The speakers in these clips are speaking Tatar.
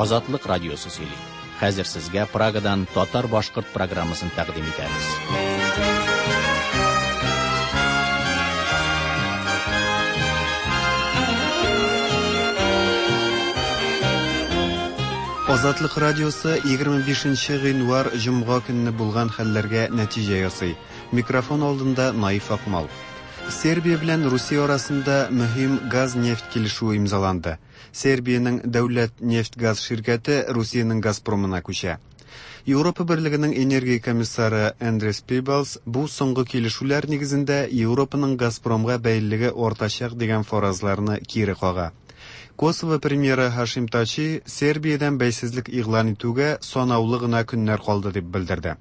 Азатлык радиосы сөйли. Хәзер сезгә Прагадан татар-башкорт программасын тәкъдим итәбез. Азатлык радиосы 25 гыйнвар җомга көнне булган хәлләргә нәтиҗә ясый. Микрофон алдында Наиф Акмал. Сербия белән Русия арасында мөһим газ-нефть килешүе имзаланды. Сербиянең дәүләт нефть-газ ширкәте Русиянең Газпромына күчә. Европа Берлегенең энергия комиссары Эндрис Пибалс бу соңгы килешүләр нигезендә Европаның Газпромга бәйлелеге артачак дигән фаразларны кире кага. Косово премьеры Һашим Тачи Сербиядән бәйсезлек игълан итүгә санаулы гына көннәр калды дип белдерде.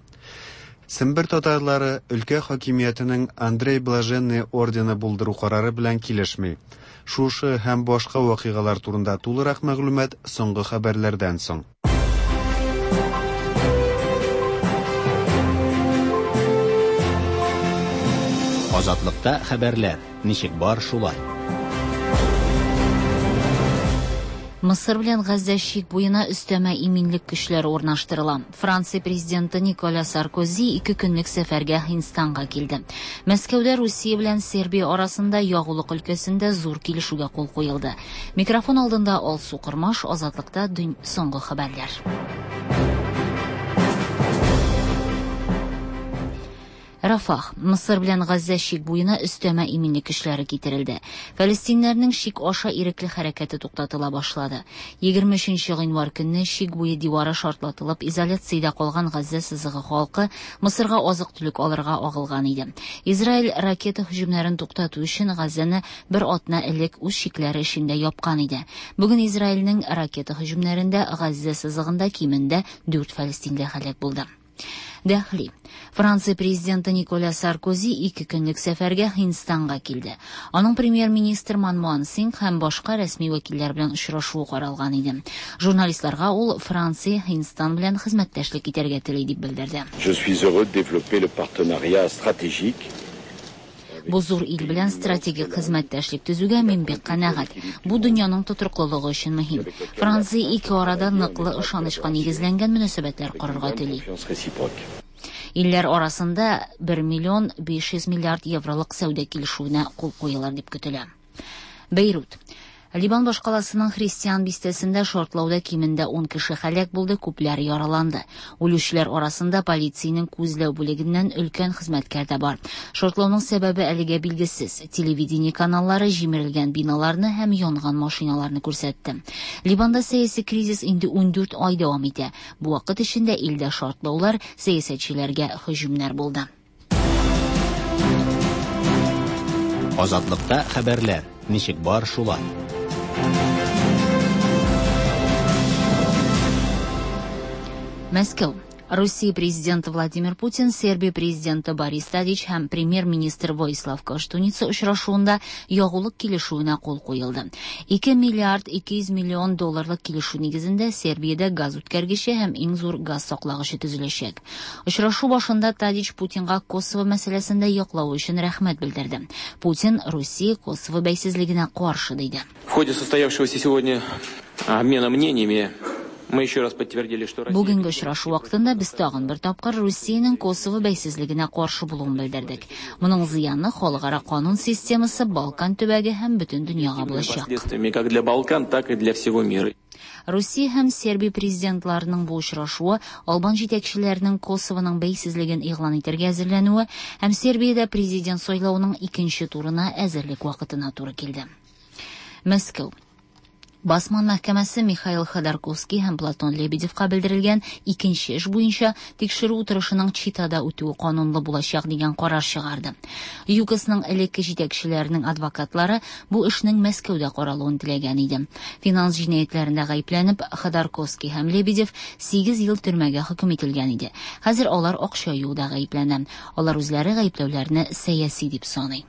Сембер татарлары өлкә хакимиятенең Андрей Блаженный ордены булдыру карары белән килешми. Шушы һәм башка вакыйгалар турында тулырак мәгълүмат соңгы хәбәрләрдән соң. Азатлыкта хәбәрләр ничек бар шулай. Мысыр белән Газзә чик буена өстәмә иминлек көчләре урнаштырыла. Франция президенты Николя Саркози ике көнлек сәфәргә Һиндстанга килде. Мәскәүдә Русия белән Сербия арасында ягулык өлкәсендә зур килешүгә кул куелды. Микрофон алдында Алсу Кормаш, Азатлыкта дөн соңгы хәбәрләр. Рафах, Мысыр белән Газзә чик буена өстәмә иминлек көчләре китерелде. Фәлестиннәрнең чик аша ирекле хәрәкәте туктатыла башлады. 23 гыйнвар көнне чик буе дивары шартлатылып, изоляциядә калган Газзә сызыгы халкы Мысырга азык-төлек алырга агылган иде. Израиль ракета һөҗүмнәрен туктату өчен Газзәне бер атна элек үз чикләре эчендә япкан иде. Бүген Израильнең ракета һөҗүмнәрендә Газзә сызыгында кимендә 4 фәлестинле һәлак булды. Дәхли. Франция президенты Николя Саркози ике көнлек сәфәргә Һиндстанга килде. Аның премьер-министр Манмохан Сингх һәм башка рәсми вәкилләр белән очрашуы каралган иде. Журналистларга ул Франция Һиндстан белән хезмәттәшлек итәргә тели дип белдерде. Je suis heureux de développer le partenariat stratégique Бу зур ил белән стратегик хезмәттәшлек төзүгә мин бик канәгать. Бу дөньяның тотрыклылыгы өчен мөһим. Франция ике арада ныклы ышанычка нигезләнгән мөнәсәбәтләр корырга тели. Илләр арасында 1 миллион 500 миллиард евролык сәүдә килешүенә кул куелыр дип көтелә. Бейрут. Либан башкаласының христиан бистәсендә шартлауда кимендә 10 кеше һәлак булды, күпләр яраланды. Үлүчеләр арасында полициянең күзләү бүлегеннән өлкән хезмәткәр дә бар. Шартлауның сәбәбе әлегә билгесез. Телевидение каналлары җимерелгән биналарны һәм янган машиналарны күрсәтте. Либанда сәяси кризис инде 14 ай дәвам итә. Бу вакыт эчендә илдә шартлаулар, сәясәтчеләргә һөҗүмнәр булды. Азатлыкта хәбәрләр ничек бар шулай. Мәскәү. Русия президенты Владимир Путин, Сербия президенты Борис Тадич һәм премьер-министр Воислав Коштуница очрашуында ягулык килешүенә кул куелды. 2 миллиард 200 миллион долларлык килешү нигезендә Сербиядә газ үткәргече һәм иң зур газ саклагычы төзеләчәк. Очрашу башында Тадич Путинга Косово мәсьәләсендә яклау өчен рәхмәт белдерде. Путин Русия Косово бәйсезлегенә каршы диде. В ходе состоявшегося сегодня обмена мнениями мы еще раз подтвердили, что Россия... Бүгенге очрашу вакытында без тагын бер тапкыр Русиянең Косово бәйсезлегенә каршы булуын белдердек. Моның зыяны халыкара канун системасы, Балкан төбәге һәм бөтен дөньяга булачак. Последствиями как для Балкан, так и для всего мира. Русия һәм Сербия президентларының бу очрашуы Албан җитәкчеләренең Косовоның бәйсезлеген игълан итәргә әзерләнүе һәм Сербиядә президент сайлавының икенче турына әзерлек вакытына туры килде. Мәскәү. Басман мәхкәмәсе Михаил Ходорковский һәм Платон Лебедевка белдерелгән икенче эш буенча тикшерү утырышының Читада үтүе канунлы булачак дигән карар чыгарды. ЮКОСның элекке җитәкчеләренең адвокатлары бу эшнең Мәскәүдә каралуын теләгән иде. Финанс җинаятьләрендә гаепләнеп, Ходорковский һәм Лебедев 8 ел төрмәгә хөкем ителгән иде. Хәзер алар акча юуда гаепләнә. Алар үзләре гаепләүләрне сәяси дип саный.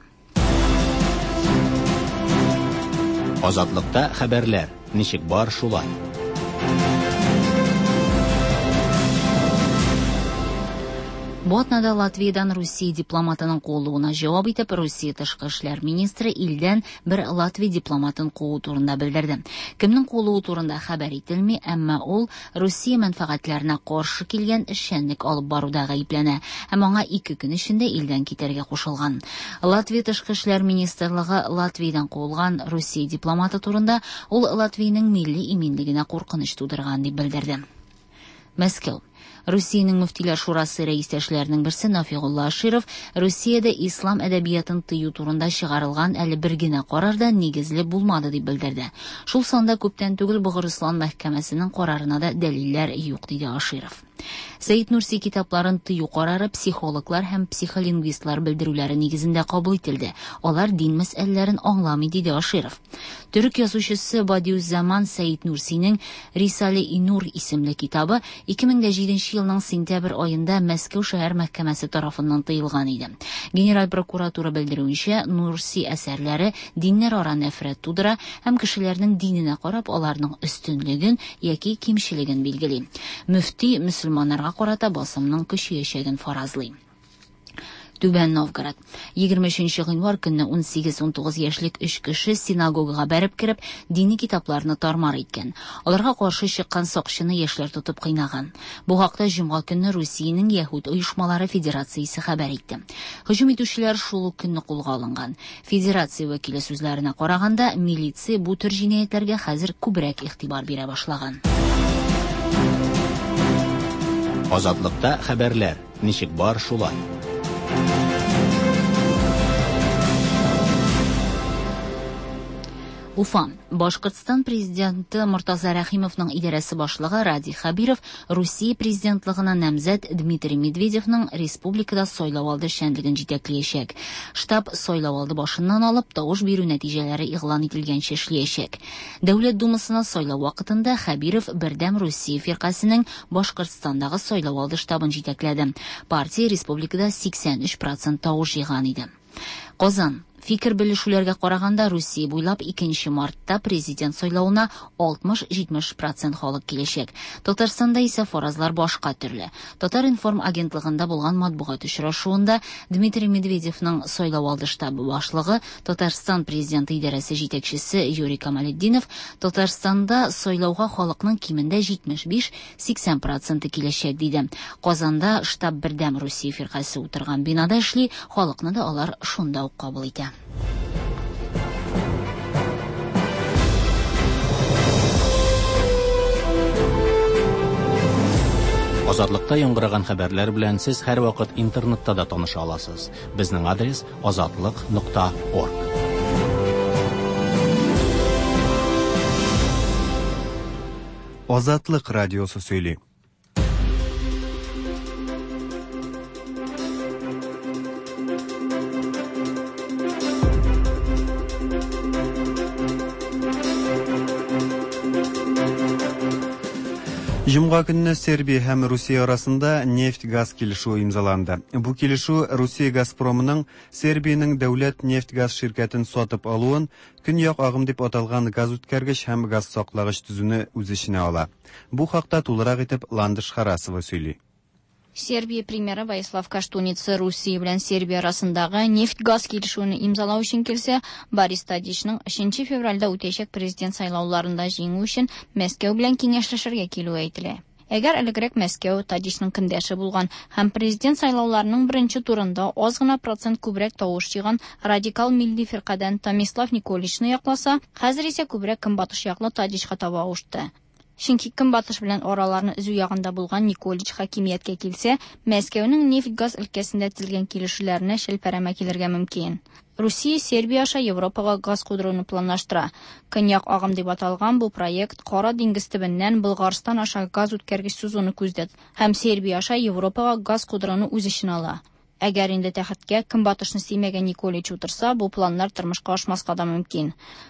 Азатлыкта хәбәрләр ничек бар шулай. Бу атнада Латвиядән Русия дипломатының куылуына җавап итеп, Русия тышкы эшләр министры илдән бер Латвия дипломатын куу турында белдерде. Кемнең куылуы турында хәбәр ителми, әмма ул Русия мәнфәгатьләренә каршы килгән эшчәнлек алып баруда гаепләнә һәм аңа 2 көн эчендә илдән китәргә кушылган. Латвия тышкы эшләр министрлыгы Латвиядән куылган Русия дипломаты турында ул Латвиянең милли иминлегенә куркыныч тудырган дип белдерде. Мәскәү. Русиянең мөфтиләр шурасы рәистәшләренең берсе Нафигулла Аширов Русиядә ислам әдәбиятын тыю турында чыгарылган әле бер генә карар да нигезле булмады дип белдерде. Шул санда күптән түгел Богырыслан мәхкәмәсенең карарына да дәлилләр юк, диде Аширов. Сәид Нурси китапларын тыю карары психологлар һәм психолингвистлар белдерүләре нигезендә кабул ителде. Алар дин мәсьәләләрен аңламый, диде Аширов. Төрек язучысы Бадиуззаман Сәид Нурсинең Рисале-и Нур исемле китабы 2007 елның сентябрь аенда Мәскәү шәһәр мәхкәмәсе тарафыннан тыелган иде. Генераль прокуратура белдерүенчә, Нурси әсәрләре диннәрара нәфрәт тудыра һәм кешеләрнең диненә карап аларның өстенлеген яки кимчелеген билгели. Мөфти мөселманнарга карата басымның көчәячәген фаразлый. Түбән Новгород. 23 гыйнвар көнне 18-19 яшьлек 3 кеше синагогага бәреп кереп, дини китапларны тармар иткән. Аларга каршы чыккан сакчыны яшьләр тотып кыйнаган. Бу хакта җомга көнне Русиянең Яһүд оешмалары федерациясе хәбәр итте. Һөҗүм итүчеләр шул ук көнне кулга алынган. Федерация вәкиле сүзләренә караганда, милиция бу төр җинаятьләргә хәзер күбрәк игътибар бирә башлаган. Азатлыкта хәбәрләр ничек бар шулай. Уфа. Башкортстан президенты Мортаза Рәхимовның идарәсе башлыгы Радий Хәбиров Русия президентлыгына намзәт Дмитрий Медведевның республикада сайлау алды эшчәнлеген җитәкләячәк. Штаб сайлау алды башыннан алып тавыш бирү нәтиҗәләре игълан ителгәнче эшләячәк. Дәүләт Думасына сайлау вакытында Хәбиров Бердәм Русия фиркасенең Башкортстандагы сайлау алды штабын җитәкләде. Партия республикада 83% тавыш җыйган иде. Казан. Фикер белешүләргә караганда, Русия буйлап 2 мартта президент сайлавына 60-70% халык киләчәк. Татарстанда исә фаразлар башка төрле. Татар-информ агентлыгында булган матбугат очрашуында Дмитрий Медведевның сайлау алды штабы башлыгы, Татарстан президенты идарәсе җитәкчесе Юрий Камалетдинов Татарстанда сайлауга халыкның кимендә 75-80% киләчәк диде. Казанда штаб Бердәм Русия фиркасе утырган бинада эшли, халыкны да алар шунда ук кабул итә. Азатлыкта яңгыраган хәбәрләр белән сез һәрвакыт интернетта да таныша аласыз. Безнең адрес azatliq.org. Азатлык радиосы сөйли. Җомга көнне Сербия һәм Русия арасында нефть-газ килешүе имзаланды. Бу килешү Русия Газпромының Сербиянең дәүләт нефть-газ ширкәтен сатып алуын, Көньяк агым дип аталган газ үткәргеч һәм газ саклагыч төзүне үз эченә ала. Бу хакта тулырак итеп Ландыш Харасова сөйли. Сербия премьеры Воислав Коштуница Русия белән Сербия арасындагы нефть-газ килешүен имзалау өчен килсә, Борис Тадичның 3 февральдә үтәчәк президент сайлауларында җиңү өчен Мәскәү белән киңәшләшергә килүе әйтелә. Әгәр элегрәк Мәскәү Тадичның көндәше булган һәм президент сайлауларының беренче турында аз гына процент күбрәк тавыш җыйган радикал милли фиркадән Томислав Николичны якласа, хәзер исә күбрәк көнбатыш яклы Тадичка таба авышты. Чөнки көнбатыш белән араларны өзү ягында булган Николич хакимияткә килсә, Мәскәүнең нефть-газ өлкәсендә төзелгән килешүләренә шелпәрәмә килергә мөмкин. Русия Сербия аша Европага газ кудыруны планлаштыра. Көньяк агым дип аталган бу проект Кара диңгез төбеннән Болгарстан аша газ үткәргеч сузуны күздә һәм Сербия аша Европага газ кудыруны үз эченә ала. Әгәр инде тәхеткә көнбатышны сөймәгән Николич утырса, бу планнар тормышка ашмаска да мөмкин.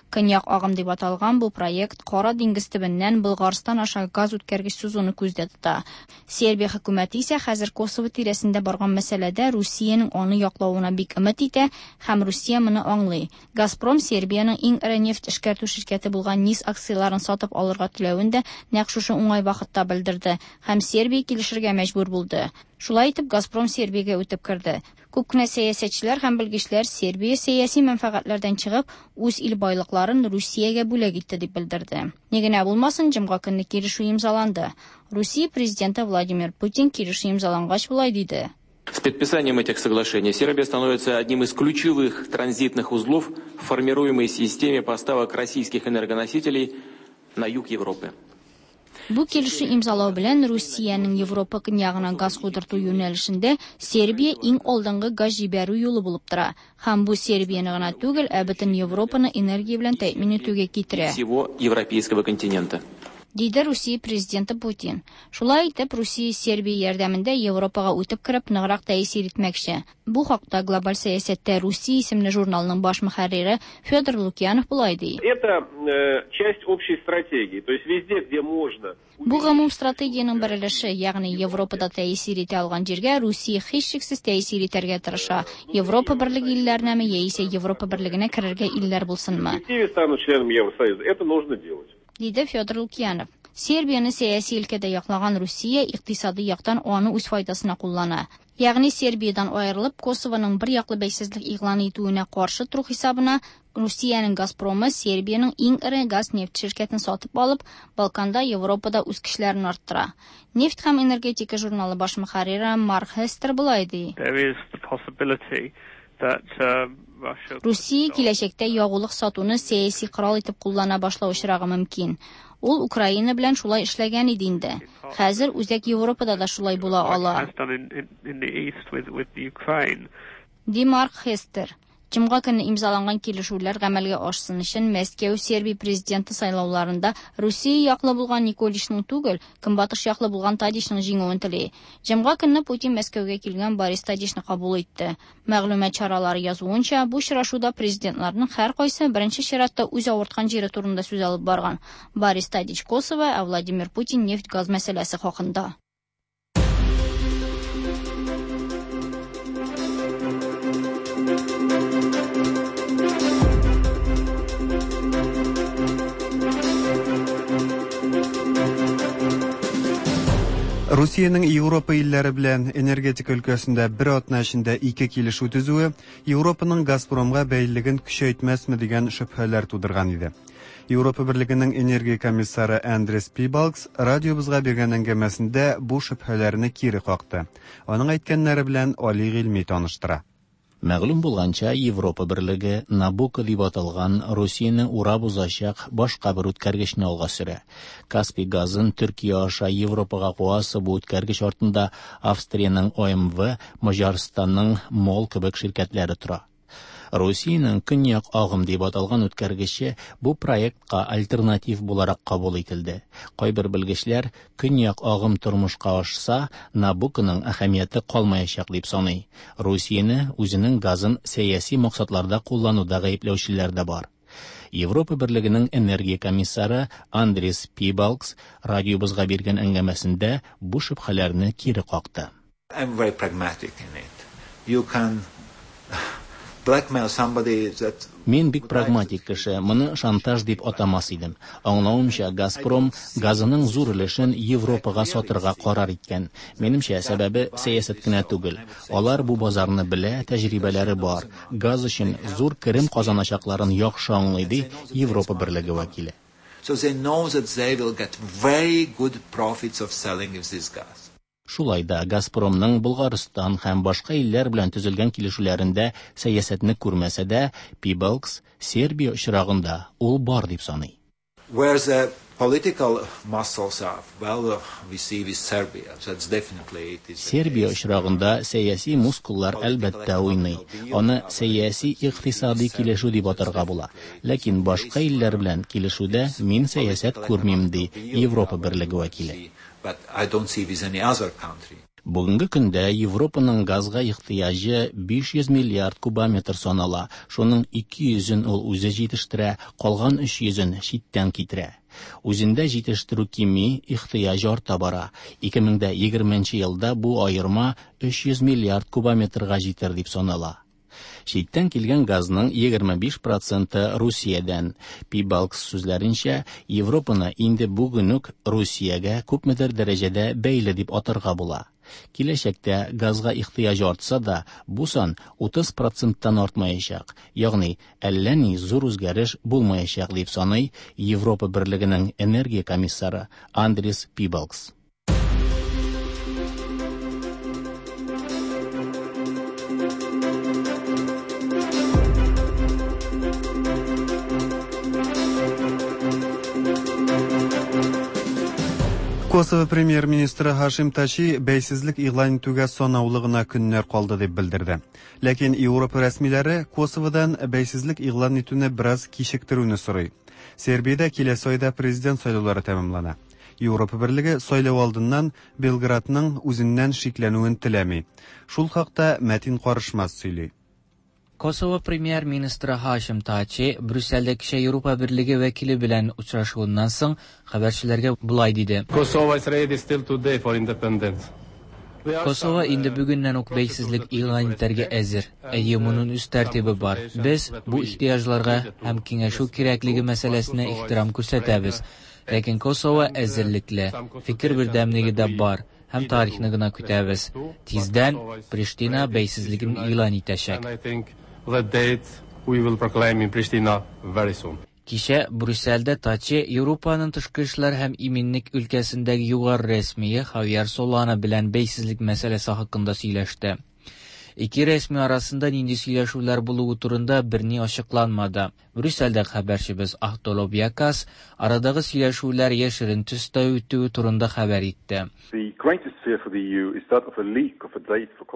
Көньяк агым дип аталган бу проект Кара диңгез төбеннән Болгарстан аша газ үткәргеч сузуны күздә тота. Сербия хөкүмәте исә хәзер Косово тирәсендә барган мәсьәләдә Русиянең аны яклавына бик өмет итә һәм Русия моны аңлый. Газпром Сербиянең иң эре нефть эшкәртү ширкәте булган НИС акцияләрен сатып алырга теләвен дә нәкъ шушы уңай вакытта белдерде һәм Сербия килешергә мәҗбүр булды. Шулай итеп, Газпром Сербиягә үтеп керде. Күп кенә сәясәтчеләр һәм белгечләр Сербия сәяси мәнфәгатьләрдән чыгып, үз ил байлыкларын Русиягә бүләк итте дип белдерде. Ни генә булмасын, җомга көнне килешү имзаланды. Русия президенты Владимир Путин килешү имзалангач болай диде. С подписанием этих соглашений Сербия становится одним из ключевых транзитных узлов в формируемой системе поставок российских энергоносителей на юг Европы. Бу килешү имзалау белән Русиянең Европа көньягына газ кудырту юнәлешендә Сербия иң алдынгы газ җибәрү юлы булып тора. Һәм бу Сербияне гына түгел, ә бөтен Европаны энергия белән тәэмин итүгә китерә. Всего европейского континента. Диде Русия президенты Путин. Шулай итеп, Русия Сербия ярдәмендә Европага үтеп кереп, ныграк тәэсир итмәкче. Бу хакта Глобаль сәясәттә Русия исемле журналның баш мөхәррире Федор Лукьянов болай ди. Это часть общей стратегии, то есть везде, где можно. Бу гомум стратегиянең бер өлеше, ягъни Европада тәэсир итә алган җиргә Русия һичшиксез тәэсир итәргә тырыша. Европа берлеге илләренәме яисә Европа берлегенә керергә илләр булсынмы? В перспективе станут членами Евросоюза, это нужно делать. Диде Федор Лукьянов. Сербияне сәяси өлкәдә яклаган Русия икътисади яктан аны үз файдасына куллана. Ягъни Сербиядан аерылып, Косованың бер яклы бәйсезлек игълан итүенә каршы тору хисабына Русиянең Газпромы Сербиянең иң эре газ-нефть ширкәтен сатып алып, Балканда, Европада үз көчләрен арттыра. Нефть һәм энергетика журналы баш мөхәррире Марк Хестер болай ди. There is the possibility that Русия киләчәктә ягулык сатуны сәяси корал итеп куллана башлау очрагы мөмкин. Ул Украина белән шулай эшләгән иде инде. Хәзер Үзәк Европада да шулай була ала. Ди Марк Хестер. Җомга көнне имзаланган килешүләр гамәлгә ашсын өчен Мәскәү Сербия президенты сайлауларында Русия яклы булган Николичның түгел, Көнбатыш яклы булган Тадичның җиңүен тели. Җомга көнне Путин Мәскәүгә килгән Борис Тадичны кабул итте. Мәгълүмат чаралары язуынча, бу очрашуда президентларның һәркайсы беренче чиратта үз авырткан җире турында сүз алып барган. Борис Тадич Косово, ә Владимир Путин нефть-газ мәсьәләсе хакында. Русиянең Европа илләре белән энергетика өлкәсендә бер атна эчендә ике килешү төзүе Европаның Газпромга бәйлелеген көчәйтмәсме дигән шөбһәләр тудырган иде. Европа берлегенең энергия комиссары Андрес Пибалгс радиобызга биргән әңгәмәсендә бу шөбһәләрне кире какты. Аның әйткәннәре белән Али Гыйльми таныштыра. Мәгълүм булганча, Европа берлеге Набуко дип аталган Русияне урап узачак башка бер үткәргечне алга сөрә. Каспий газын Төркия аша Европага куасы бу үткәргеч артында Австриянең ОМВ, Маҗарстанның МОЛ кебек ширкәтләре тора. Русиянең Көньяк агым дип аталган үткәргече бу проектка альтернатив буларак кабул ителде. Кайбер белгечләр Көньяк агым тормышка ашса, Набуконың әһәмияте калмаячак дип саный. Русияне үзенең газын сәяси максатларда куллануда гаепләүчеләр дә бар. Европа берлегенең энергия комиссары Андрес Пибалгс радиобызга биргән әңгәмәсендә бу шөбһәләрне кире какты. I'm very pragmatic in it. You can blackmail somebody that Мин бик прагматик кеше, моны шантаж дип атамас идем. Аңлавымча, Газпром газының зур өлешен Европага сатырга карар иткән. Минемчә, сәбәбе сәясәт кенә түгел. Алар бу базарны белә, тәҗрибәләре бар. Газ өчен зур керем казаначакларын яхшы аңлый, ди Европа берлеге вәкиле. So they know that they will get very good profits of selling this gas. Шулай да Газпромның Болгарстан һәм башка илләр белән төзелгән килешүләрендә сәясәтне күрмәсә дә, Пибалгс Сербия очрагында ул бар дип саный. Where the political muscles are, well, we see with Serbia, that's definitely it is. Сербия очрагында сәяси мускуллар әлбәттә уйный. Аны сәяси икътисади килешү дип атарга була. Ләкин башка илләр белән килешүдә мин сәясәт күрмим, ди Европа берлеге вәкиле. But I don't see with any other country. Бүгенге көндә Европаның газга ихтыяҗы 500 миллиард кубометр санала. Шуның 200-ен ул үзе җитештерә, калган 300-ен читтән китерә. Үзендә җитештерү кими, ихтыяҗ арта бара. 2020 елда бу аерма 300 миллиард кубометрга җитер дип санала. Читтән килгән газның 25% Русиядән. Пибалгс сүзләренчә, Европаны инде бүген үк Русиягә күпмедер дәрәҗәдә бәйле дип атарга була. Киләчәктә газга ихтыяҗ артса да, бу сан 30 проценттан артмаячак, ягъни әллә ни зур үзгәреш булмаячак, дип саный Европа Берлегенең энергия комиссары Андрис Пибалгс. Косово премьер-министры Һашим Тачи бәйсезлек игълан итүгә санаулы гына көннәр калды дип белдерде. Ләкин Европа рәсмиләре Косоводан бәйсезлек игълан итүне бераз кичектерүне сорый. Сербиядә киләсе айда президент сайлаулары тәмамлана. Европа Берлеге сайлау алдыннан Белградның үзеннән шикләнүен теләми. Шул хакта Мәтин Карышмас сөйли. Косово премьер-министры Һашим Тачи Брюссельдә кичә Европа Берлеге вәкиле белән очрашуыннан соң хәбәрчеләргә болай диде. Kosovo is ready still today for independence. Косово инде бүгеннән үк бәйсезлек игълан итәргә әзер. Әйе, моның үз тәртибе бар. Без бу ихтыяҗларга һәм киңәшү кирәклеге мәсьәләсенә ихтирам күрсәтәбез. Ләкин Косово әзерлекле, фикер бердәмлеге дә бар һәм тарихны гына көтәбез. Тиздән Приштина бәйсезлеген игълан итәчәк. And I think the date we will proclaim in Pristina very soon. Кичә Брюссельдә Тачи Европаның тышкы эшләр һәм иминлек өлкәсендәге югары рәсмие Хавьер Солана белән бәйсезлек мәсьәләсе хакында сөйләште. Ике рәсми арасында нинди сөйләшүләр булуы турында берни ачыкланмады. Брюссельдә хәбәрчебез Ахтолоб Якас арадагы сөйләшүләр яшерен төстә үтүе турында хәбәр итте.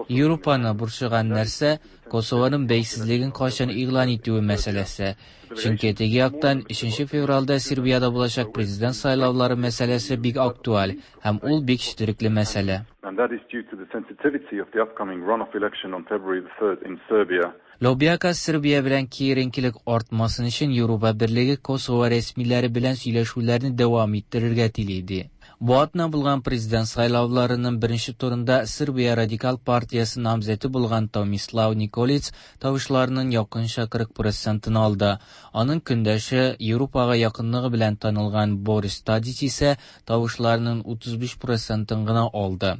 Европаны борчыган нәрсә Косованың бәйсезлеген кайчан игълан итүе мәсьәләсе. Чөнки теге яктан 3 февральдә Сербиядә булачак президент сайлаулары мәсьәләсе бик актуаль һәм ул бик четерекле мәсьәлә. And that is due to the sensitivity of the upcoming runoff election on February the 3rd in Serbia. Лобяка Сербия белән киеренкелек артмасын өчен Европа Берлеге Косово рәсмиләре белән сөйләшүләрне дәвам иттерергә тели иде. Бу атна булган президент сайлауларының беренче турында Сербия радикал партиясе намзәте булган Томислав Николиц тавышларының якынча 40 процентын алды. Аның көндәше Европага якынлыгы белән танылган Борис Тадич исә тавышларының 35 процентын гына алды.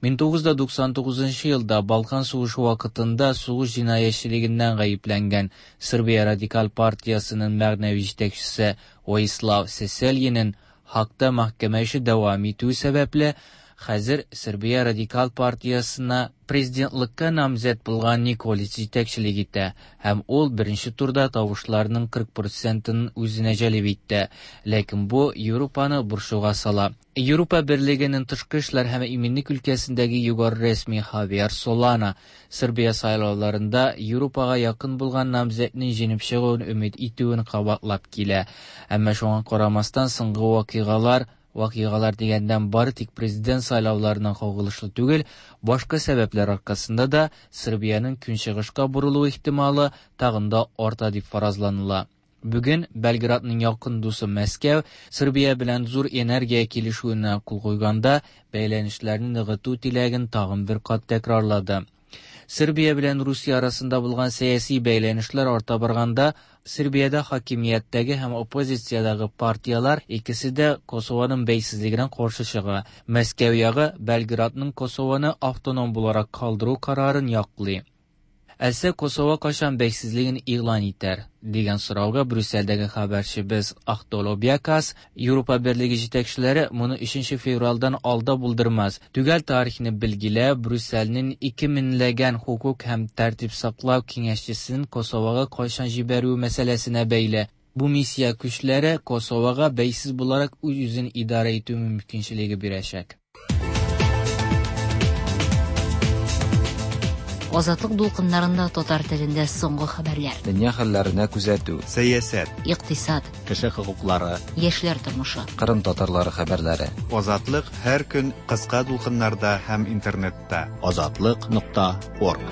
1999 елда Балкан сугышы вакытында сугыш җинаятьчелегеннән гаепләнгән Сербия радикал партиясының мәгънәви җитәкчесе Воислав Сесельинең хакта мәхкәмә эше дәвам итү сәбәпле, хәзер Сербия радикал партиясына президентлыкка намзәт булган Николич җитәкчелек итә һәм ул беренче турда тавышларның 40 процентын үзенә җәлеп итте. Ләкин бу Европаны борчуга сала. Европа Берлегенең тышкы эшләр һәм иминлек өлкәсендәге югары рәсми Хавьер Солана Сербия сайлауларында Европага якын булган намзәтнең җиңеп чыгуын өмет итүен кабатлап килә. Әмма шуңа карамастан соңгы вакыйгалар Вакыйгалар дигәндән бары тик президент сайлауларына кагылышлы түгел, башка сәбәпләр аркасында да Сербиянең көнчыгышка борылу ихтималы тагын да арта дип фаразланыла. Бүген Белградның якын дусы Мәскәү Сербия белән зур энергия килешүенә кул куйганда бәйләнешләрне ныгыту теләген тагын бер кат тәкрарлады. Сербия белән Русия арасында булган сәяси бәйләнешләр арта барганда, Сербиядә хакимияттәге һәм оппозициядәге партияләр икесе дә Косованың бәйсезлегенә каршы чыга. Мәскәү ягы Белградның Косованы автоном буларак калдыру карарын яклый. Әлсә Косово кайчан бәйсезлеген игълан итәр? дигән сорауга Брюссельдәге хәбәрчебез Ахтоло Бякас, Европа Берлеге җитәкчеләре моны 3 февральдән алда булдырмас. Төгәл тарихны билгеләп, Брюссельнең 2 меңләгән хокук һәм тәртип саклау киңәшчесен Косовога кайчан җибәрү мәсьәләсенә бәйле. Бу миссия көчләре Косовога бәйсез буларак үз-үзен идарә итү мөмкинчелеге бирәчәк. Азатлык дулкыннарында татар телендә соңгы хәбәрләр. Дөнья хәлләренә күзәтү. Сәясәт. Икътисад. Кеше хокуклары. Яшьләр тормышы. Кырым татарлары хәбәрләре. Азатлык һәр көн кыска дулкыннарда һәм интернетта. Азатлык.орг.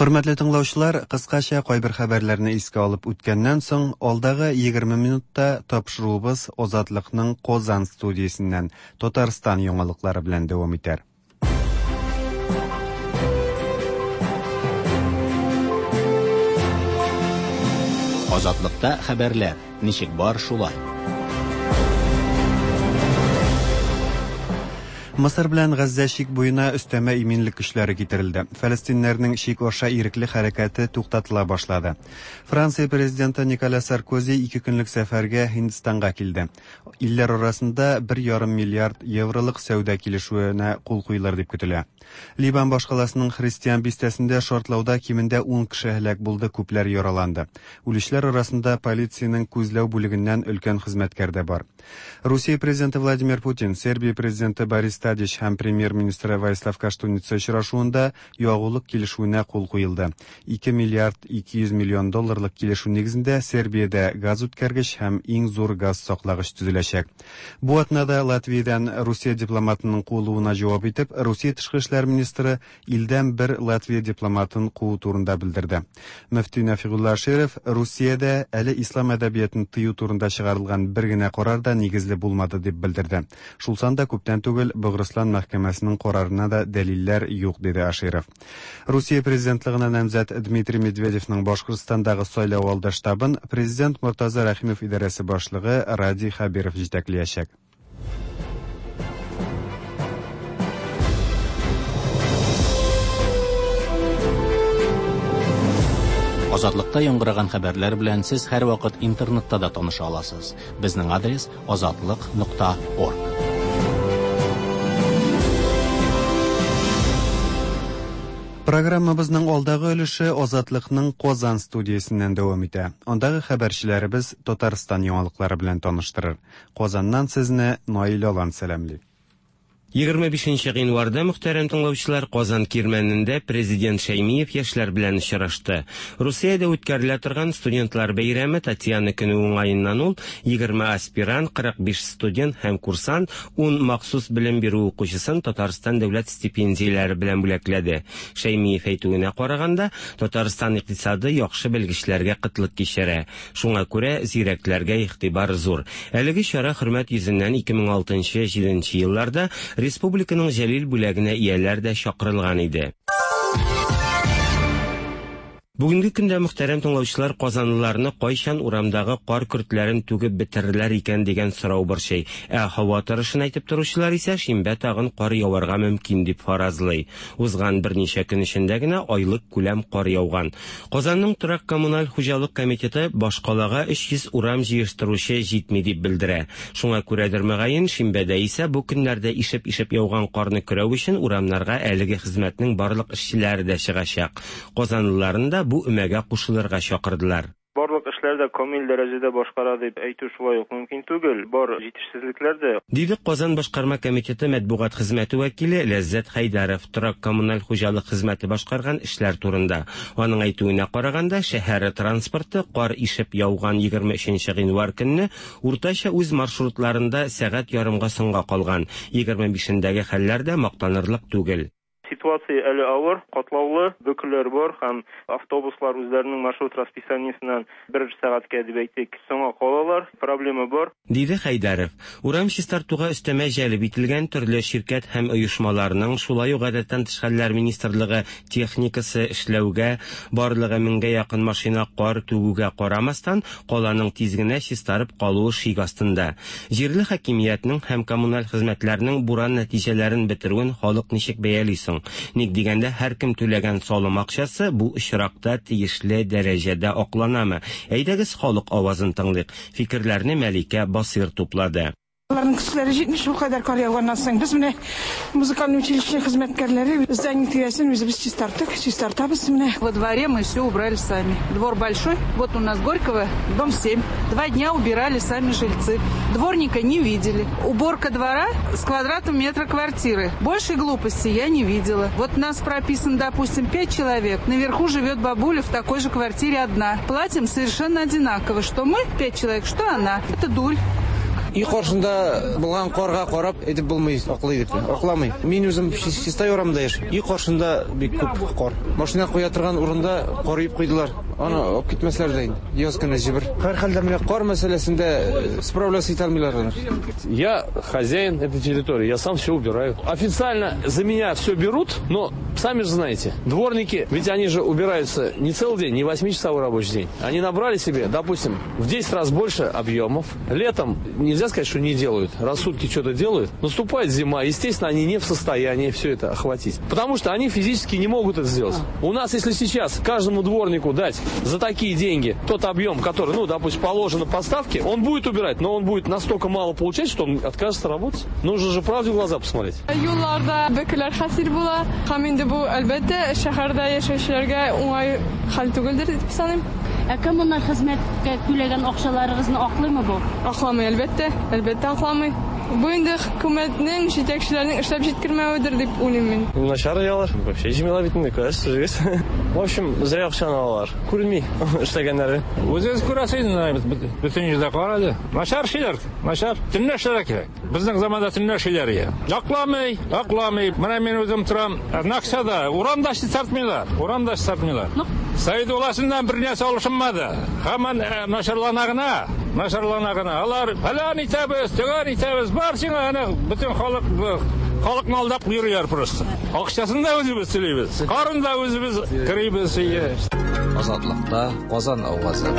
Хөрмәтле тыңлаучылар, кыскача кайбер хәбәрләрне искә алып үткәннән соң, алдагы 20 минутта тапшыруыбыз Азатлыкның Казан студиясеннән Татарстан яңалыклары белән дәвам итәр. Азатлыкта хәбәрләр ничек бар шулай. Мысыр белән Газзә чик буена өстәмә иминлек көчләре китерелде. Фәлестиннәрнең чик аша ирекле хәрәкәте туктатыла башлады. Франция президенты Николя Саркози ике көнлек сәфәргә Һиндстанга килде. Илләр арасында 1,5 миллиард евролык сәүдә килешүенә кул куелыр дип көтелә. Ливан башкаласының христиан бистәсендә шартлауда кимендә 10 кеше һәлак булды, күпләр яраланды. Үлүчеләр арасында полициянең күзләү бүлегеннән өлкән хезмәткәр дә бар. Русия президенты Владимир Путин, Сербия президенты Борис Тадич һәм премьер-министры Ваислав Каштуница очрашуында ягулык килешүенә кул куелды. 2 миллиард 200 миллион долларлык килешү нигезендә Сербиядә газ үткәргеч һәм иң зур газ саклагыч төзеләчәк. Бу атнада Латвиядән Русия дипломатының куылуына җавап итеп, Русия тышкы эшләр министры илдән бер Латвия дипломатын куу турында белдерде. Мөфти Нәфигулла Аширов Русиядә әле ислам әдәбиятын тыю турында чыгарылган бер генә карар да нигезле булмады дип белдерде. Шул санда күптән түгел Богырыслан мәхкәмәсенең карарына да дәлилләр юк, диде Аширов. Русия президентлыгына намзәт Дмитрий Медведевның Башкортстандагы сайлау алды штабын президент Мортаза Рәхимов идарәсе башлыгы Радий Хәбиров җитәкләячәк. Азатлыкта яңгыраган хәбәрләр белән сез һәрвакыт интернетта да таныша аласыз. Безнең адрес azatliq.org. Программабызның алдагы өлеше Азатлыкның Казан студиясеннән дәвам итә. Андагы хәбәрчеләребез Татарстан яңалыклары белән таныштырыр. Казаннан сезне Наил Алан сәламли. 25 гыйнварда мөхтәрәм тыңлаучылар Казан Кирмәнендә президент Шәймиев яшьләр белән очрашты. Русиядә үткәрелә торган студентлар бәйрәме Татьяна көне уңаеннан ул 20 аспирант, 45 студент һәм курсант, 10 махсус белем бирү укучысын Татарстан дәүләт стипендияләре белән бүләкләде. Шәймиев әйтүенә караганда, Татарстан икътисады яхшы белгечләргә кытлык кичерә. Шуңа күрә зирәкләргә игътибар зур. Әлеге чара хөрмәт йөзеннән 2006-7 елларда республиканың Җәлил бүләгенә ияләр дә чакырылган иде. Бүгенге көндә мөхтәрәм тыңлаучылар казанлыларны кайчан урамдагы кар көртләрен түгеп бетерерләр икән дигән сорау борчый. Ә һава торышын әйтеп торучылар исә шимбә тагын кар яварга мөмкин дип фаразлый. Узган берничә көн эчендә генә айлык күләм кар яуган. Казанның торак коммуналь хуҗалык комитеты башкалага 300 урам җыештыручы җитми дип белдерә. Шуңа күрәдер мөгаен, шимбәдә исә бу көннәрдә ишеп-ишеп яуган карны көрәү өчен урамнарга әлеге хезмәтнең барлык эшчеләре дә чыгачак. Казанлыларны да бу өмәгә кушылырга чакырдылар. Барлык эшләр дә камил дәрәҗәдә башкара дип әйтү шулай ук мөмкин түгел, бар җитешсезлекләр дә. Диде Казан башкарма комитеты матбугат хезмәте вәкиле Ләззәт Хәйдәров торак коммуналь хуҗалык хезмәте башкарган эшләр турында. Аның әйтүенә караганда, шәһәр транспорты кар ишеп яуган 23 гыйнвар көнне уртача үз маршрутларында сәгать ярымга соңга калган. 25-ndәге хәлләр дә мактанырлык түгел. Ситуация әле авыр, катлаулы, бөкеләр бар һәм автобуслар үзләренең маршрут расписаниесеннән бер сәгатькә дип әйтик, соңга калалар, проблема бар. Диде Хәйдәров. Урам чистартуга өстәмә җәлеп ителгән төрле ширкәт һәм оешмаларның, шулай ук гадәттән тыш хәлләр министрлыгы техникасы эшләүгә, барлыгы меңгә якын машина кар түгүгә карамастан, каланың тиз генә чистарып калуы шик астында. Җирле хакимиятнең һәм коммуналь хезмәтләрнең буран нәтиҗәләрен бетерүен халык ничек бәяли соң? Ник дигәндә, һәркем түләгән салым акчасы бу очракта тиешле дәрәҗәдә акланамы? Әйдәгез халык авазын тыңлыйк. Фикерләрне Мәликә Басыр туплады. Аларның көчләре җитми шул кадәр кар яуганнан соң. Без менә музыкальный училище хезмәткәрләре здание тирәсен үзебез чистарттык, чистартабыз менә. Во дворе мы все убрали сами. Двор большой, вот у нас Горького, дом 7. 2 дня убирали сами жильцы. Дворника не видели. Уборка двора с квадратом метра квартиры. Большей глупости я не видела. Вот нас прописан, допустим, 5 человек. Наверху живет бабуля в такой же квартире одна. Платим совершенно одинаково. Что мы 5 человек, что она. Это дурь. Өй каршында булган карга карап әйтеп булмый, аклый дип. Акламый. Мин үзем Чистай урамында яшим. Өй каршында бик күп кар. Машина куя торган урында кар өеп куйдылар. Аны алып китмәсләр дә инде. Яз көне җибер. Һәрхәлдә менә кар мәсьәләсендә э, справляться итә алмыйлар алар. Я хозяин этой территории, я сам все убираю. Официально за меня все берут, но сами же знаете, дворники, ведь они же убираются не целый день, не 8-часовой рабочий день. Они набрали себе, допустим, в 10 раз больше объемов. Летом нельзя сказать, что не делают. Раз в сутки что-то делают. Наступает зима, естественно, они не в состоянии все это охватить. Потому что они физически не могут это сделать. У нас, если сейчас каждому дворнику дать за такие деньги тот объем, который, ну, допустим, положено по ставке, он будет убирать, но он будет настолько мало получать, что он откажется работать. Нужно же правде в глаза посмотреть. Юлларда бөкеләр хасил була. Һәм инде бу, әлбәттә, шәһәрдә яшәүчеләргә уңай хәл түгелдер дип саныйм. Ә коммуналь хезмәткә түләгән акчаларыгызны аклыймы бу? Акламый, әлбәттә, әлбәттә акламый. Бу инде хөкүмәтнең, җитәкчеләрнең эшләп җиткермәведер дип уйлыйм мин. Начар ялар. Вообще җыймыйлар бит инде, күрәсез үзегез. В общем, зря акчаны алалар. Күренми эшләгәннәре. Үзегез күрәсез инде, бөтен җирдә кар әле. Начар эшлиләр, начар. Төнлә эшләргә кирәк. Безнең заманда төнлә эшлиләр иде. Акламый, акламый. Менә мин үзем торам Наксада, урамда чистартмыйлар, урамда чистартмыйлар. Совет властеннән бер нәрсә алышынмады. Һаман э, начарлана гына, начарлана гына. Алар фәлән итәбез, төгән итәбез, бар сиңа әнә бөтен халык э, халыкны алдап йөриләр просто. Акчасын да үзебез түлибез, карын да үзебез керибез. Азатлыкта Казан авазы.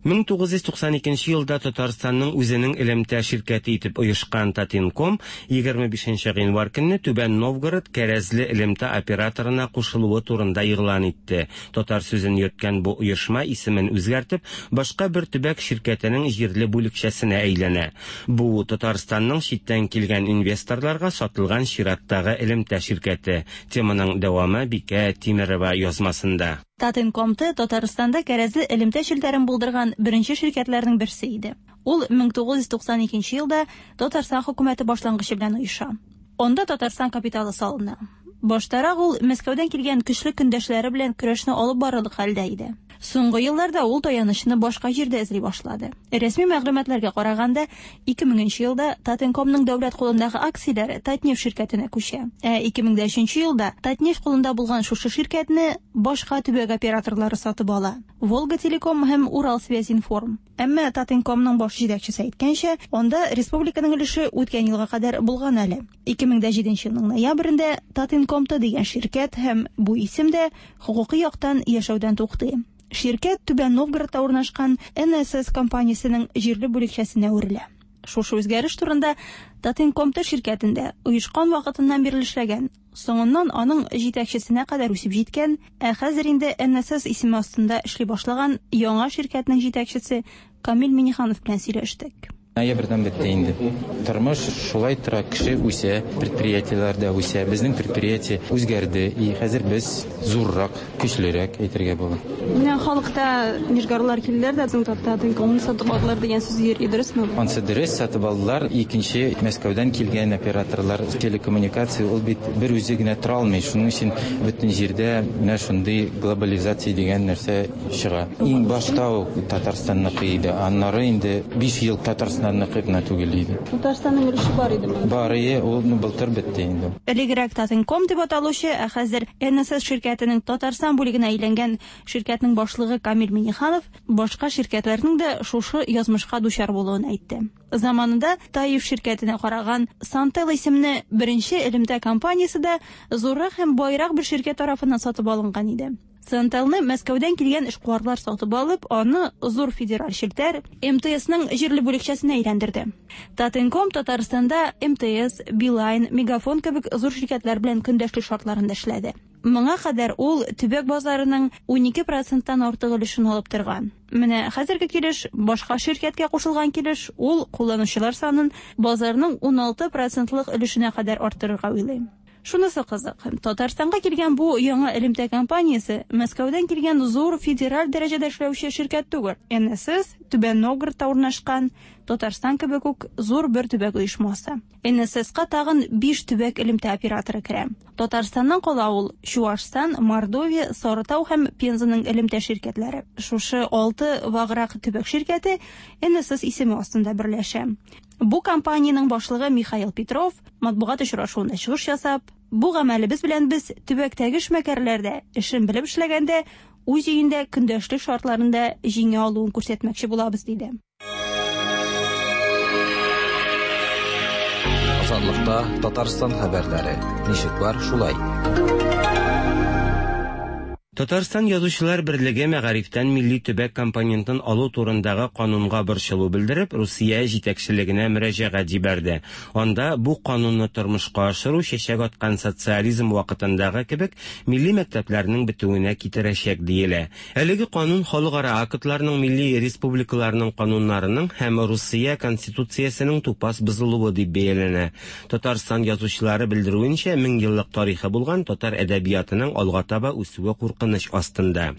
1992 елда Татарстанның үзенең элемтә ширкәте итеп оешкан Татинком 25 гыйнвар көнне Түбән Новгород кәрәзле элемтә операторына кушылуы турында игълан итте. Татар сүзен йөрткән бу оешма исемен үзгәртеп, башка бер төбәк ширкәтенең җирле бүлекчәсенә әйләнә. Бу Татарстанның читтән килгән инвесторларга сатылган чираттагы элемтә ширкәте. Теманың дәвамы Бикә Тимерова язмасында. Татинком-Т Татарстанда кәрәзле элемтә челтәрен булдырган беренче ширкәтләрнең берсе иде. Ул 1992 елда Татарстан хөкүмәте башлангычы белән оеша. Анда Татарстан капиталы салына. Баштарак ул Мәскәүдән килгән көчле көндәшләре белән көрәшне алып барырлык хәлдә иде. Соңгы елларда ул таянычны башка җирдә эзли башлады. Рәсми мәгълүматларга караганда, 2000 нче елда Татинкомның дәүләт кулындагы акцияләре Татнефть ширкәтенә күчә. Ә 2003 елда Татнефть кулында булган шушы ширкәтне башка төбәк операторлары сатып ала, Волга Телеком һәм Уралсвязьинформ. Әмма Татинкомның баш җитәкчесе әйткәнчә, анда республиканың өлеше үткән елга кадәр булган әле. 2007 елның ноябрендә Татинком-Т дигән ширкәт һәм бу исем дә хокукый яктан яшәүдән туктый. Ширкәт Түбән Новгородта урнашкан NSS компаниясенең җирле бүлекчәсенә әверелә. Шушы үзгәреш турында Татинком-Т ширкәтендә оешкан вакытыннан бирле эшләгән, соңыннан аның җитәкчесенә кадәр үсеп җиткән, ә хәзер инде NSS исеме астында эшли башлаган яңа ширкәтнең җитәкчесе Камил Миннеханов белән сөйләштек. Ноябрьдән бетте инде. Тормыш шулай тора, кеше үсә, предприятиеләр дә үсә. Безнең предприятие үзгәрде, и хәзер без зуррак, көчлерәк әйтергә була. Менә халыкта нижгарлар килделәр дә, безнең Татинкомны сатып алдылар дигән сүз йөри, дөресме бу? Ансы дөрес, сатып алдылар. Икенче, Мәскәүдән килгән операторлар, телекоммуникация ул бит бер үзе генә тора алмый. Шуның өчен бөтен җирдә менә шундый глобализация дигән нәрсә чыга. Иң башта ук Татарстанныкы иде, аннары инде 5 ел Татарстанныкы гына түгел иде. Татарстанның өлеше бар идеме? Бар ие, ул ну, былтыр бетте инде. Элегрәк Татинком дип аталучы, ә хәзер НСС ширкәтенең Татарстан бүлегенә әйләнгән ширкәтнең башлыгы Камил Миннеханов башка ширкәтләрнең дә шушы язмышка дучар булуын әйтте. Заманында Таиф ширкәтенә караган Сантел исемле беренче элемтә компаниясе дә зуррак һәм баерак бер ширкәт тарафыннан сатып алынган иде. Сантелны Мәскәүдән килгән эшкуарлар сатып алып, аны зур федераль челтәр МТСның җирле бүлекчәсенә әйләндерде. Татинком Татарстанда МТС, Билайн, Мегафон кебек зур ширкәтләр белән көндәшлек шартларында эшләде. Моңа кадәр ул төбәк базарының 12 проценттан артык өлешен алып торган. Менә хәзерге килеш, башка ширкәткә кушылган килеш, ул кулланучылар санын базарның 16 процентлык өлешенә кадәр арттырырга уйлый. Шунысы кызык, Татарстанга килгән бу яңа элемтә компаниясе Мәскәүдән килгән зур федераль дәрәҗәдә эшләүче ширкәт түгел. НСС Түбән Новгородта урнашкан, Татарстан кебек үк зур бер төбәк оешмасы. НССка тагын 5 төбәк элемтә операторы керә. Татарстаннан кала ул Чуашстан, Мордовия, Сарытау һәм Пензаның элемтә ширкәтләре. Шушы 6 ваграк төбәк ширкәте НСС исеме астында берләшә. Бу компаниянең башлыгы Михаил Петров матбугат очрашуында чыгыш ясап, Бу гамәлебез белән без төбәктәге эшмәкәрләр дә эшен белеп эшләгәндә үз өендә көндәшлек шартларында җиңә алуын күрсәтмәкче булабыз, диде. Азатлыкта Татарстан хәбәрләре. Ничек бар, шулай. Татарстан Язучылар берлеге мәгарифтән милли төбәк компонентын алу турындагы канунга борчылу белдереп, Русия җитәкчелегенә мөрәҗәгать җибәрде. Анда бу канунны тормышка ашыру чәчәк аткан социализм вакытындагы кебек милли мәктәпләрнең бетүенә китерәчәк диелә. Әлеге канун халыкара актларның, милли республикаларның кануннарының һәм Русия Конституциясенең тупас бозылуы дип бәяләнә. Татарстан язучылары белдерүенчә, меңьеллык тарихы булган татар әдәбиятының алга таба үсүе куркыныч астында.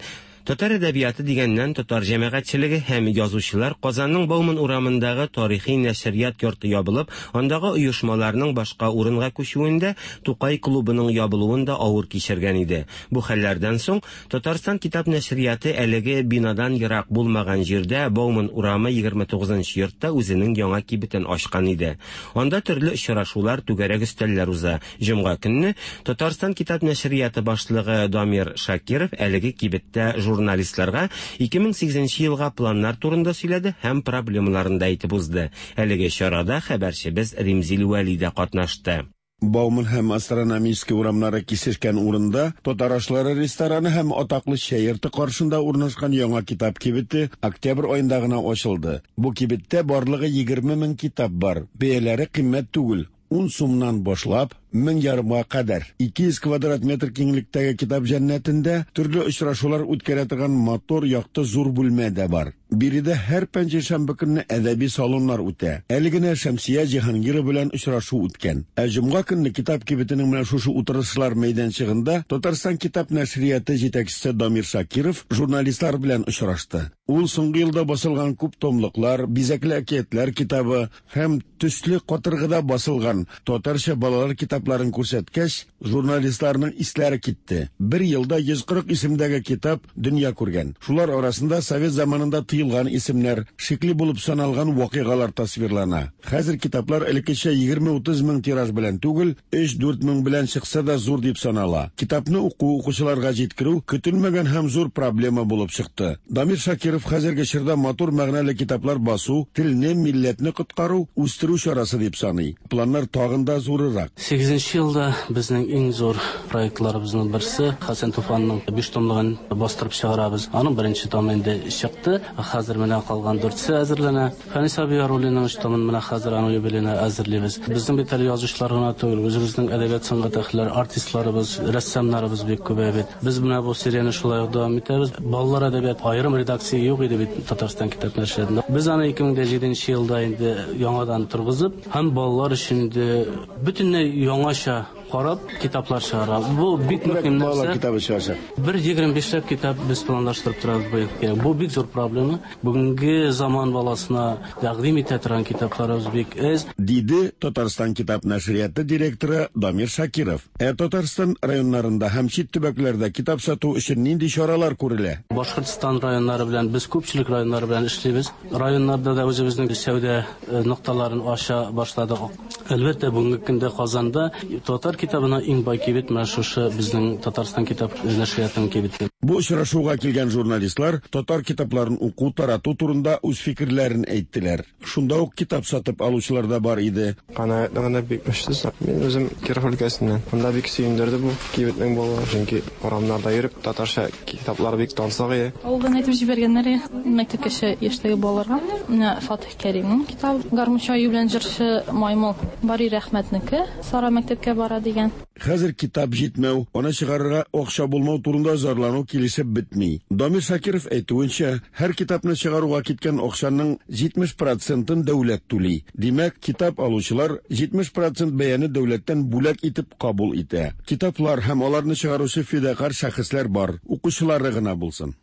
Татар әдәбияты дигәннән, татар җәмәгатьчелеге һәм язучылар Казанның Бауман урамындагы тарихи нәшрият йорты ябылып, андагы оешмаларның башка урынга күчүен дә, Тукай клубының ябылуын да авыр кичергән иде. Бу хәлләрдән соң Татарстан китап нәшрияты әлеге бинадан ерак булмаган җирдә, Бауман урамы 29 нчы йортта үзенең яңа кибетен ачкан иде. Анда төрле очрашулар, түгәрәк өстәлләр уза. Җомга көнне Татарстан китап нәшрияты башлыгы Дамир Шакиров әлеге кибеттә журналистларга 2008 нче елга планнар турында сөйләде һәм проблемаларын да әйтеп узды. Әлеге чарада хәбәрчебез Римзил Вәли дә катнашты. Бауман һәм Астрономический урамнары кисешкән урында Татар ашлары рестораны һәм атаклы чәй йорты каршында урнашкан яңа китап кибете октябрь аенда гына ачылды. Бу кибеттә барлыгы 20 мең китап бар. Бәяләре кыйммәт түгел, ун сумнан башлап, мең ярымга кадәр. 200 квадрат метр киңлектәге китап җәннәтендә төрле очрашулар үткәрә торган матур, якты зур бүлмә дә бар. Биредә һәр пәнҗешәмбе көнне әдәби салоннар үтә. Әле генә Шәмсия Җиһангирова белән очрашу үткән. Ә җомга көнне китап кибетенең менә шушы утырышлар мәйданчыгында Татарстан китап нәшрияты җитәкчесе Дамир Шакиров журналистлар белән очрашты. Ул соңгы елда басылган күп томлыклар, бизәкле әкиятләр китабы һәм төсле катыргыда басылган татарча балалар китапларын күрсәткәч, журналистларның исләре китте. Бер елда 140 исемдәге китап дөнья күргән. Шулар арасында совет заманында тыелган исемнәр, шикле булып саналган вакыйгалар тасвирлана. Хәзер китаплар элеккечә 20-30 мең тираж белән түгел, 3-4 мең белән чыкса да зур дип санала. Китапны уку, укучыларга җиткерү көтелмәгән һәм зур проблема булып чыкты. Дамир Шакиров хәзерге чорда матур мәгънәле китаплар басу, телне, милләтне коткару, үстерү чарасы дип саный. Планнар тагын да зурырак. Сигезенче елда безнең иң зур проектларыбызның берсе, Хәсән Туфанның биш томлыгын бастырып чыгарабыз. Аның беренче томы инде чыкты. Хәзер менә калган дүртсе әзерләнә. Фәнис абый Яруллинның өч томын менә хәзер аның юбилеена әзерлибез. Безнең бит әле язучылар гына түгел, үзебезнең әдәбият сәнгать әһелләре, артистларыбыз, рәссамнарыбыз бик күбәя бит. Без менә бу серияне шулай ук дәвам итәбез. Балалар әдәбияты аерым редакция юк иде бит Татарстан китап нәшриятында. Без аны 2007 нче елда инде яңадан торгызып һәм балалар өчен инде бөтенләй яңача карап китаплар чыгара. Бу бик мөһим нәрсә. Балалар китабы чыгачак. Бер 25 ләп китап без планлаштырып торабыз быел. Бу бик зур проблема. Бүгенге заман баласына тәкъдим итә торган китапларыбыз бик әз. Диде Татарстан китап нәшрияты директоры Дамир Шакиров. Ә Татарстан районнарында һәм чит төбәкләрдә китап сату өчен нинди чаралар күрелә? Башкортстан районнары белән без күпчелек районнар белән эшлибез. Районнарда да үзебезнең сәүдә нокталарын ача башладык. Әлбәттә, бүгенге көндә Казанда татар китабына иң бай кибет менә шушы безнең Татарстан китап нәшриятының кибете. Бу очрашуга килгән журналистлар татар китапларын уку, тарату турында үз фикерләрен әйттеләр. Шунда ук китап сатып алучылар да бар иде. Канәгатьлегем дә бик көчсез. Мин үзем Киров өлкәсеннән. Монда бик сөендерде бу кибетнең булуы, чөнки урамнарда йөреп татарча китаплар бик тансык иде. Авылдан әйтеп җибәргәннәр иде, мәктәпкәчә яшьтәге балаларга. Менә Фатих Кәримнең китабы Гармунчы аю белән җырчы маймыл, Бари Рәхмәтнеке Сара мәктәпкә бара дигән. Хәзер китап җитмәү, аны чыгарырга акча булмау турында зарлану килешеп бетми. Дамир Шакиров әйтүенчә, һәр китапны чыгаруга киткән акчаның 70 процентын дәүләт түли. Димәк, китап алучылар 70 процент бәяне дәүләттән бүләк итеп кабул итә. Китаплар һәм аларны чыгаручы фидакарь шәхесләр бар, укучылары гына булсын.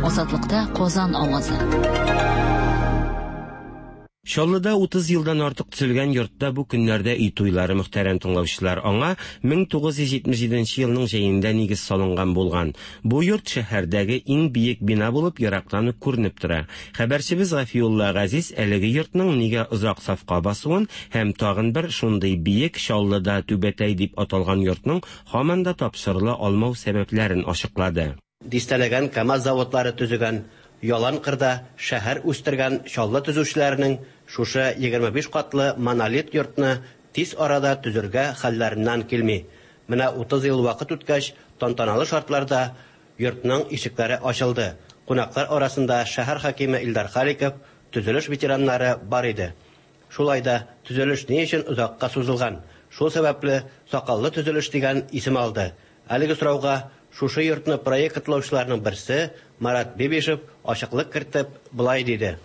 Азатлыкта Казан авазы. Чаллыда 30 елдан артык төзелгән йортта бу көннәрдә өй туйлары, мөхтәрәм тыңлаучылар. Аңа 1977 елның җәендә нигез салынган булган. Бу йорт шәһәрдәге иң биек бина булып ерактан ук күренеп тора. Хәбәрчебез Гафиулла Газиз әлеге йортның нигә озак сафка басуын һәм тагын бер шундый биек Чаллыда Түбәтәй дип аталган йортның һаман да тапшырыла алмау сәбәпләрен ачыклады. Дистәләгән КАМАЗ заводлары төзегән, ялан кырда шәһәр үстергән Чаллы төзүчеләренең шушы 25 катлы монолит йортны тиз арада төзергә хәлләреннән килми. Менә 30 ел вакыт үткәч, тантаналы шартларда йортның ишекләре ачылды. Кунаклар арасында шәһәр хакиме Илдар Халиков, төзелеш ветераннары бар иде. Шулай да төзелеш ни өчен озакка сузылган? Шул сәбәпле сакаллы төзелеш дигән исем алды. Әлеге сорауга шушы йортны проектлаучыларның берсе Марат Бибишев ачыклык кертеп, болай диде.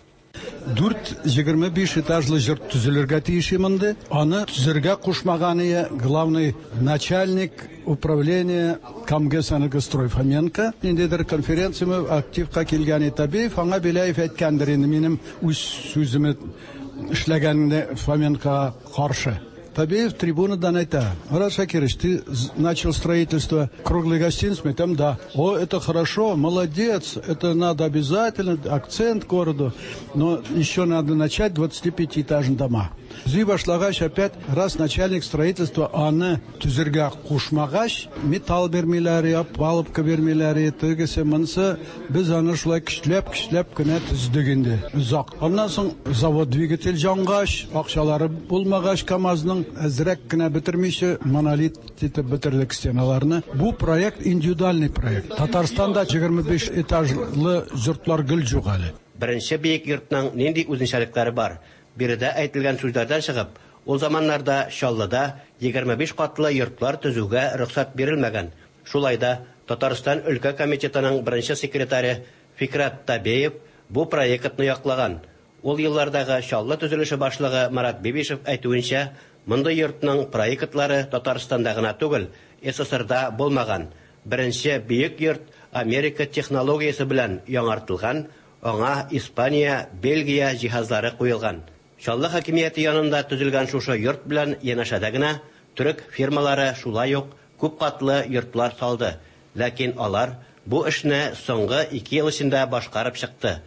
Дүрт 25 этажлы йорт төзелергә тиеш монда. Аны төзергә кушмаган ие главный начальник управления Камгэсэнергострой Фоменко. Ниндидер конференцияме активка килгән Табиев, аңа Беляев әйткәндер инде минем үз сүземне эшләгәнне Фоменкога каршы. Табеев трибунадан әйтә: Марат Шакирович, ты начал строительство круглой гостиницы? Там да. О, это хорошо, молодец, это надо обязательно, акцент городу, но еще надо начать 25-этажные дома. Төзи башлагач, опять раз начальник строительства аны төзергә кушмагач, металл бирмиләр, палубка бирмиләр, тегесе монысы, без аны шулай көчләп-көчләп кенә төздек инде. Озак. Аннан соң завод двигатель җангач, акчалары булмагач КАМАЗның әзрәк кенә бетермичә монолит итеп бетердек стеналарны. Бу проект индивидуальный проект. Татарстанда 25 этажлы йортлар гел юк әле. Беренче биек йортның нинди үзенчәлекләре бар? Биредә әйтелгән сүзләрдән чыгып, ул заманнарда Чаллыда 25 катлы йортлар төзүгә рөхсәт бирелмәгән. Шулай да Татарстан өлкә комитетының беренче секретаре Фикрат Табеев бу проектны яклаган. Ул еллардагы Чаллы төзелеше башлыгы Марат Бибишев әйтүенчә, мондый йортның проектлары Татарстанда гына түгел, СССРда булмаган. Беренче биек йорт Америка технологиясе белән яңартылган, аңа Испания, Бельгия җиһазлары куелган. Чаллы хакимияте янында төзелгән шушы йорт белән янәшәдә генә төрек фирмалары шулай ук күп катлы йортлар салды. Ләкин алар бу эшне соңгы 2 ел эчендә башкарып чыкты.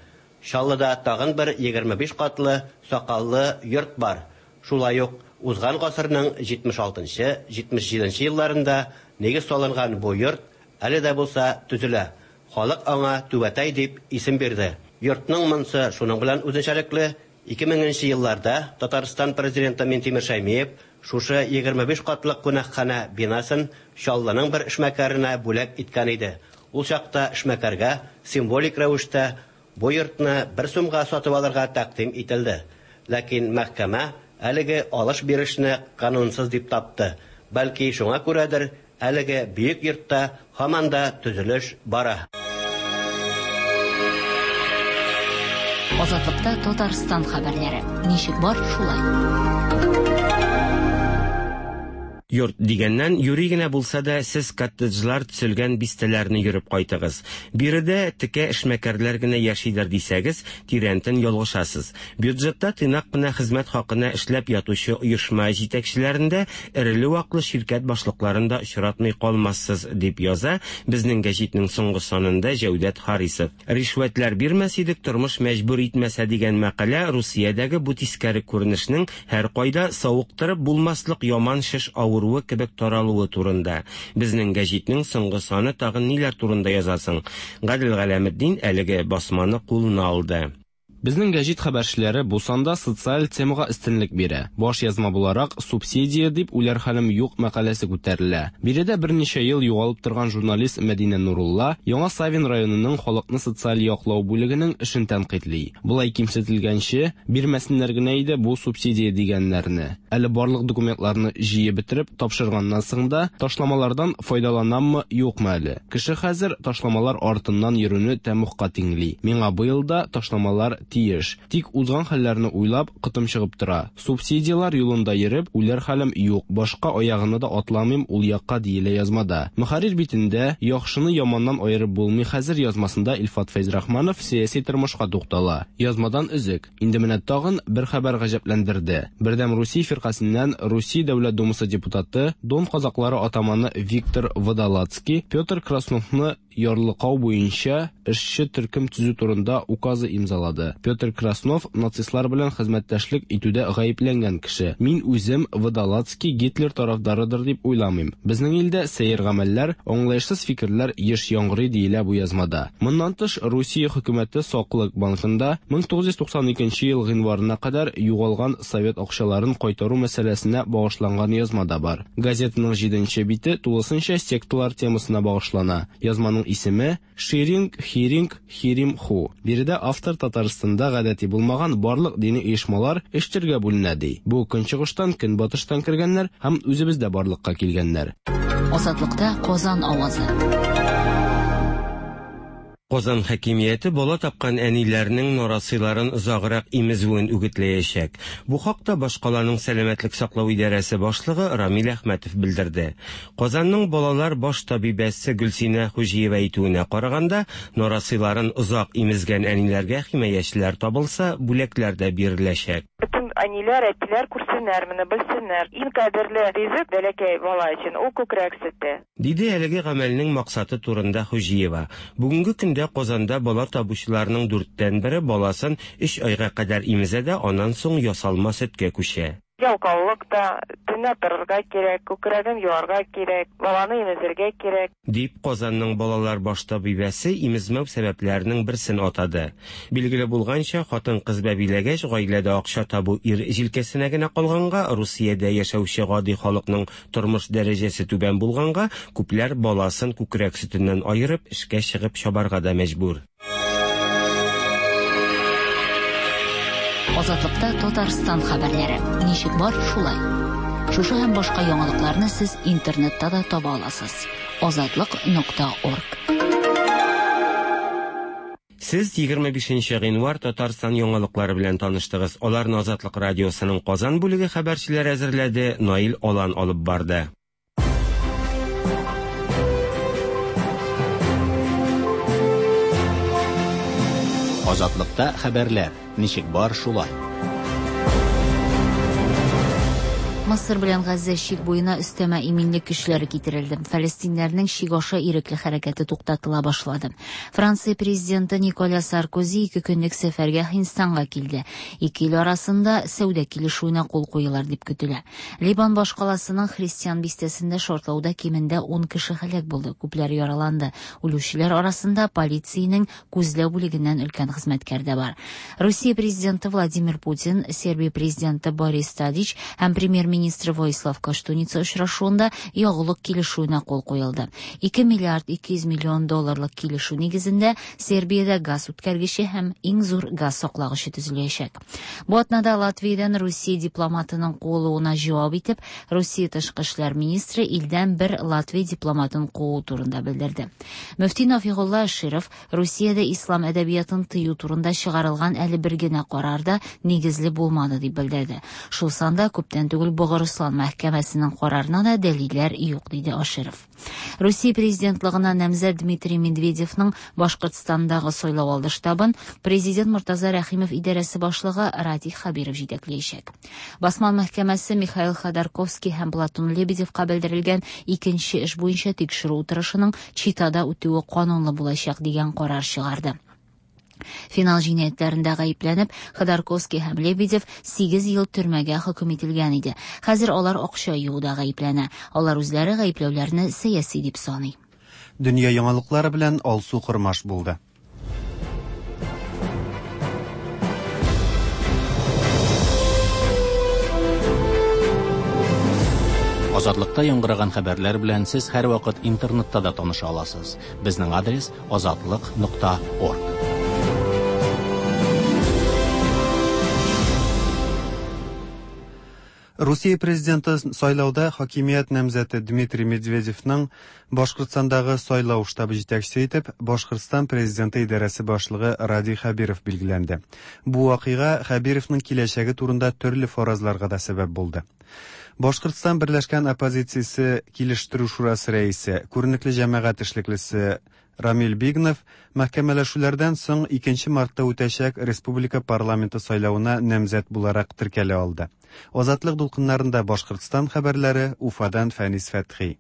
Чаллыда тагын бер 25 катлы сакаллы йорт бар. Шулай ук узган гасырның 76-77 елларында нигез салынган бу йорт әле дә булса төзелә. Халык аңа Түбәтәй дип исем бирде. Йортның монсы шуның белән үзенчәлекле. 2000 елларда Татарстан президенты Минтимер Шәймиев шушы 25 катлы кунакханә бинасын Чаллының бер эшмәкәренә бүләк иткән иде. Ул чакта эшмәкәргә символик рәвештә бу йортны бер сумга сатып алырга тәкъдим ителде. Ләкин мәхкәмә әлеге алыш-бирешне канунсыз дип тапты. Бәлки шуңа күрәдер, әлеге бөек йортта һаман да төзелеш бара. Азатлыкта Татарстан хәбәрләре. Ничек бар, шулай. Йорт дигәннән, юри генә булса да, сез коттеджлар төзелгән бистәләрне йөреп кайтыгыз. Биредә текә эшмәкәрләр генә яшидер дисәгез, тирәнтен ялгышасыз. Бюджетта тыйнак кына хезмәт хакына эшләп ятучы оешма җитәкчеләрендә эреле-ваклы ширкәт башлыкларын да очратмый калмассыз, дип яза безнең гәҗитнең соңгы санында Җәүдәт Харисов. Ришвәтләр бирмәс идек, тормыш мәҗбүр итмәсә дигән мәкалә Русиядәге бу тискәре күренешнең һәркайда савыктырып булмаслык яман шеш авыруы кебек таралуы турында. Безнең гәҗитнең соңгы саны тагын ниләр турында язасың? Гадел Галәметдин әлеге басманы кулына алды. Безнең гәҗит хәбәрчеләре бу санда социаль темага өстенлек бирә. Баш язма буларак субсидия дип үләр хәлем юк мәкаләсе күтәрелә. Биредә берничә ел югалып торган журналист Мәдинә Нурулла Яңа Савин районының халыкны социаль яклау бүлегенең эшен тәнкыйтьли. Болай кимсетелгәнче, бирмәсеннәр генә иде бу субсидия дигәннәрне. Әле барлык документларны җыеп бетереп тапшырганнан соң да ташламалардан файдаланаммы, юкмы әле? Кеше хәзер ташламалар артыннан йөрүне тәмугка тиңли. Миңа быел да ташламалар тиеш. Тик узган хәлләрне уйлап, котым чыгып тора. Субсидияләр юлында йөреп, үләр хәлем юк, башка аягымны да атламыйм ул якка, диелә язмада. Мөхәррир битендә Яхшыны яманнан аерып булмый хәзер язмасында Илфат Фәйзрахманов сәяси тормышка туктала. Язмадан өзек. Инде менә тагын бер хәбәр гаҗәпләндерде. Бердәм Русия фиркасеннән Русия Дәүләт Думасы депутаты, Дон казаклары атаманы Виктор Водолацкий Петр Красновны ярлыкау буенча эшче төркем төзү турында указы имзалады. Петр Краснов нацистлар белән хезмәттәшлек итүдә гаепләнгән кеше. Мин үзем Водолацкий Гитлер тарафдарыдыр дип уйламыйм. Безнең илдә сәер гамәлләр, аңлаешсыз фикерләр еш яңгырый, диелә бу язмада. Моннан тыш, Русия хөкүмәте Саклык банкында 1992 ел гыйнварына кадәр югалган совет акчаларын кайтару мәсьәләсенә багышланган язма да бар. Газетаның җиденче бите тулысынча секталар темасына багышлана. Язманың исеме, Ширинг, Хиринг, Хирим Ху. Биредә автор Татарстанда гадәти булмаган барлык дини оешмалар өч төргә бүленә ди. Бу көнчыгыштан, көнбатыштан кергәннәр һәм үзебездә барлыкка килгәннәр. Азатлыкта Казан авазы. Казан хакимияте бала тапкан әниләрнең нарасыйларын озаграк имезүен үгетләячәк. Бу хакта башкаланың сәламәтлек саклау идарәсе башлыгы Рамил Әхмәтов белдерде. Казанның балалар баш табибәсе Гөлсинә Хуҗиева әйтүенә караганда, нарасыйларын озак имезгән әниләргә химаячеләр табылса, бүләкләр дә биреләчәк. Бөтен әниләр, әтиләр күрсеннәр моны, белсеннәр. Иң кадерле ризык бәләкәй бала өчен ул күкрәк сөте. Диде әлеге гамәлнең максаты турында Хуҗиева. Бүгенге көндә Казанда бала табучыларның дүрттән бере баласын өч айга кадәр имезә дә, аннан соң ясалма сөткә күчә. Ялкаулык та, төнлә торырга кирәк, күкрәген юарга кирәк, баланы имезергә кирәк. Дип, Казанның балалар баш табибәсе имезмәү сәбәпләренең берсен атады. Билгеле булганча, хатын-кыз бәбиләгәч, гаиләдә акча табу ир җилкәсенә генә калганга, Русиядә яшәүче гади халыкның тормыш дәрәҗәсе түбән булганга, күпләр баласын күкрәк сөтеннән аерып, эшкә чыгып чабарга да мәҗбүр. Азатлыкта Татарстан хәбәрләре. Ничек бар, шулай. Шушы һәм башка яңалыкларны сез интернетта да таба аласыз. Азатлык.орг. Сез 25 нче гыйнвар Татарстан яңалыклары белән таныштыгыз. Аларны Азатлык радиосының Казан бүлеге хәбәрчеләре әзерләде, Наил Алан алып барды. Азатлыкта хәбәрләр, ничек бар, шулай. Мысыр белән Газзә чик буена өстәмә иминлек көчләре китерелде. Фәлестиннәрнең чик аша ирекле хәрәкәте туктатыла башлады. Франция президенты Николя Саркози ике көнлек сәфәргә Һиндстанга килде. Ике ил арасында сәүдә килешүенә кул куелыр дип көтелә. Либан башкаласының христиан бистәсендә шартлауда кимендә ун кеше һәлак булды, күпләр яраланды. Үлүчеләр арасында полициянең күзләү бүлегеннән өлкән хезмәткәр дә бар. Русия президенты Владимир Путин, Сербия президенты Борис Тадич һәм премьер-министры Воислав Коштуница очрашуында ягулык килешүенә кул куелды. 2 миллиард 200 миллион долларлык килешү нигезендә Сербиядә газ үткәргече һәм иң зур газ саклагычы төзеләчәк. Бу атнада Латвиядән Русия дипломатының куылуына җавап итеп, Русия тышкы эшләр министры илдән бер Латвия дипломатын куу турында белдерде. Мөфти Нафигулла Аширов Русиядә ислам әдәбиятын тыю турында чыгарылган әле бер генә карар да нигезле булмады дип белдерде. Шул санда күптән түгел Богырыслан мәхкәмәсенең карарына да дәлилләр юк, диде Аширов. Русия президентлыгына намзәт Дмитрий Медведевның Башкортстандагы сайлау алды штабын президент Мортаза Рәхимов идарәсе башлыгы Радий Хәбиров җитәкләячәк. Басман мәхкәмәсе Михаил Ходорковский һәм Платон Лебедевка белдерелгән икенче эш буенча тикшерү утырышының Читада үтүе канунлы булачак дигән карар чыгарды. Финал җинаятьләрендә гаепләнеп, Ходорковский һәм Лебедев 8 ел төрмәгә хөкем ителгән иде. Хәзер алар акча юуда гаепләнә. Алар үзләре гаепләүләрне сәяси дип саный. Дөнья яңалыклары белән Алсу Кормаш булды. Азатлыкта яңгыраган хәбәрләр белән сез һәрвакыт интернетта да таныша аласыз. Безнең адрес азатлык.орг. Русия президенты сайлауда хакимият намзәте Дмитрий Медведевның Башкортстандагы сайлау штабы җитәкчесе итеп Башкортстан президенты идарәсе башлыгы Радий Хәбиров билгеләнде. Бу вакыйга Хәбировның киләчәге турында төрле фаразларга да сәбәп булды. Башкортстан берләшкән оппозициясе килештерү шурасы рәисе, күренекле җәмәгать эшлеклесе Рамил Бигнов мәхкәмәләшүләрдән соң 2 мартта үтәчәк республика парламенты сайлавына намзәт буларак теркәлә алды. Азатлык дулкыннарында Башкортстан хәбәрләре, Уфадан Фәнис Фәтхи.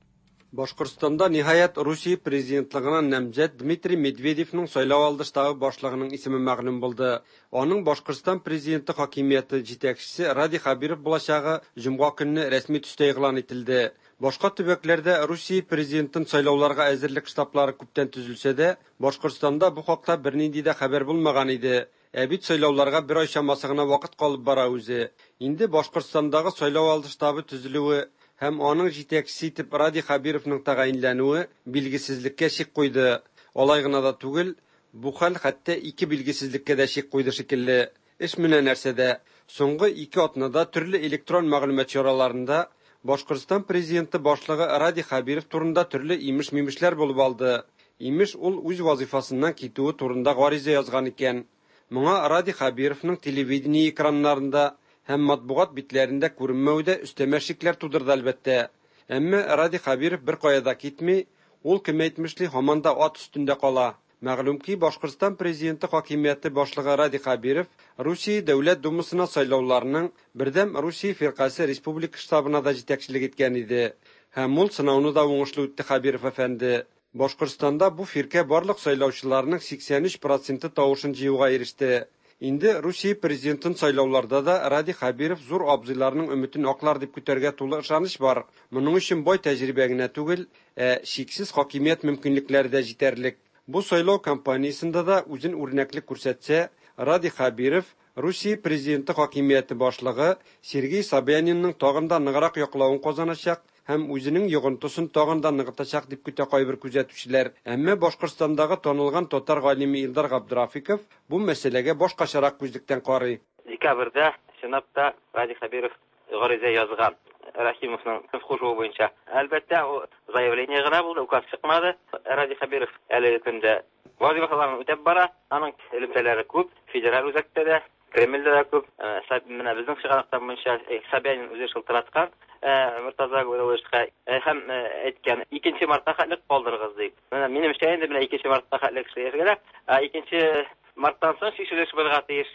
Башкортстанда ниһаять Русия президентлыгына намзәт Дмитрий Медведевның сайлау алды штабы башлыгының исеме мәгълүм булды. Аның Башкортстан президенты хакимияте җитәкчесе Радий Хәбиров булачагы җомга көнне рәсми төстә игълан ителде. Башка төбәкләрдә Русия президентын сайлауларга әзерлек штаблары күптән төзелсә дә, Башкортстанда бу хакта бернинди дә хәбәр булмаган иде. Ә бит сайлауларга бер ай чамасы гына вакыт калып бара үзе. Инде Башкортстандагы сайлау алды штабы төзелүе һәм аның җитәкчесе итеп Радий Хәбировның тәгаенләнүе билгесезлеккә чик куйды. Алай гына да түгел, бу хәл хәтта ике билгесезлеккә дә чик куйды шикелле. Эш менә нәрсәдә. Соңгы ике атнада төрле электрон мәгълүмат чараларында Башкортстан президенты башлыгы Радий Хәбиров турында төрле имеш-мимешләр булып алды. Имеш, ул үз вазифасыннан китүе турында гариза язган икән. Моңа Радий Хәбировның телевидение экраннарында һәм матбугат битләрендә күренмәве дә өстәмә шикләр тудырды, әлбәттә. Әмма Радий Хәбиров беркая да китми, ул, кем әйтмешли, һаман да ат өстендә кала. Мәгълүм ки, Башкортстан президенты хакимияте башлыгы Радий Хәбиров Русия Дәүләт Думасына сайлауларның Бердәм Русия фиркасе республика штабына да җитәкчелек иткән иде. Һәм ул сынауны да уңышлы үтте Хәбиров әфәнде. Башкортстанда бу фиркә барлык сайлаучыларның 83 проценты тавышын җыюга иреште. Инде Русия президентын сайлауларда да Радий Хәбиров зур абзыйларның өметен аклар дип көтәргә тулы ышаныч бар. Моның өчен бай тәҗрибә генә түгел, ә чиксез хакимият мөмкинлекләре дә җитәрлек. Бу сайлау кампаниясендә дә үзен үрнәкле күрсәтсә, Радий Хәбиров Русия президенты хакимияте башлыгы Сергей Собянинның тагын да ныграк яклавын казаначак һәм үзенең йогынтысын тагын да ныгытачак дип көтә кайбер күзәтүчеләр. Әмма Башкортстандагы танылган татар галиме Илдар Габдрафиков бу мәсьәләгә башкачарак күзлектән карый. Декабрьдә, чынлап та, Радий Хәбиров гариза язган Рәхимовның кушуы буенча. Әлбәттә, ул заявление гына булды, указ чыкмады. Радий Хәбиров әлеге көндә вазифаларын үтәп бара. Аның элемтәләре күп, федераль үзәктә дә, Кремльдә дә күп. Менә безнең чыганаклар буенча Собянин үзе шылтыраткан Мортаза Габдулловичка һәм әйткән, 2 мартка хәтле калдырыгыз дип. Менә минемчә инде менә 2 мартка хәтле кеше яшәргә, ә 2 марттан соң чишелеш булырга тиеш.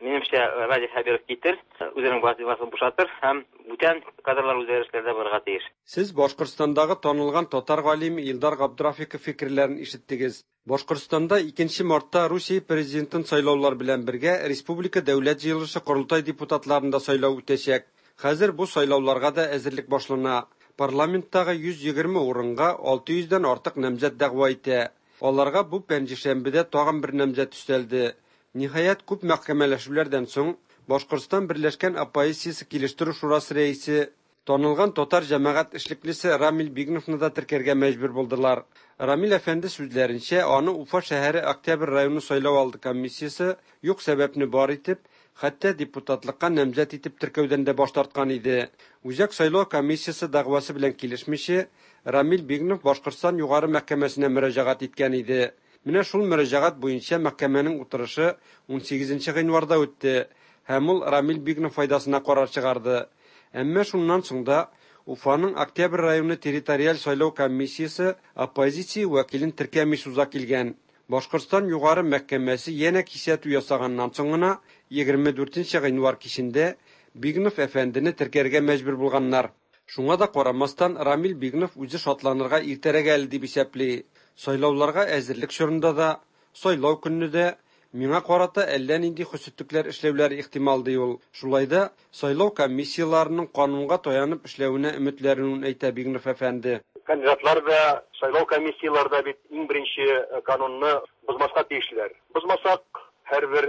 Минемчә, Радий Хәбиров китер, үзенең вазифасын бушатыр һәм бүтән кадрлар үзгәрешләр дә булырга тиеш. Сез Башкортстандагы танылган татар галиме Илдар Габдрафиков фикерләрен ишеттегез. Башкортстанда 2 мартта Русия президентын сайлаулар белән бергә республика Дәүләт җыелышы Корылтай депутатларын да сайлау үтәчәк. Хәзер бу сайлауларга да әзерлек башлана. Парламенттагы 120 урынга 600 дән артык намзәт дәгъва итә. Аларга бу пәнҗешәмбедә тагын бер намзәт өстәлде. Ниһаять, күп мәхкәмәләшүләрдән соң Башкортстан Берләшкән оппозициясе килештерү шурасы рәисе, танылган татар җәмәгать эшлеклесе Рамил Бигновны да теркәргә мәҗбүр булдылар. Рамил әфәнде сүзләренчә, аны Уфа шәһәре Октябрь районы сайлау алды комиссиясе юк сәбәпне бар итеп, хәтта депутатлыкка намзәт итеп теркәүдән дә баш тарткан иде. Үзәк сайлау комиссиясе дәгъвасы белән килешмичә, Рамил Бигнов Башкортстан югары мәхкәмәсенә мөрәҗәгать иткән иде. Менә шул мөрәҗәгать буенча мәхкәмәнең утырышы 18 гыйнварда үтте һәм ул Рамил Бигнов файдасына карар чыгарды. Әмма шуннан соң да Уфаның Октябрь районы территориаль сайлау комиссиясе оппозиция вәкилен теркәми суза килгән. Башкортстан югары мәхкәмәсе янә кисәтү ясаганнан соң гына 24 гыйнвар кичендә Бигнов әфәндене теркәргә мәҗбүр булганнар. Шуңа да карамастан, Рамил Бигнов үзе шатланырга иртәрәк әле дип исәпли. Сайлауларга әзерлек чорында да, сайлау көнне дә миңа карата әллә нинди хөсетлекләр эшләүләре ихтимал, ди ул. Шулай да сайлау комиссияләренең канунга таянып эшләвенә өметләрен әйтә Бигнов әфәнде. Кандидатлар да, сайлау комиссияләре дә бит иң беренче канунны бозмаска тиешләр. Бозмасак, һәрбер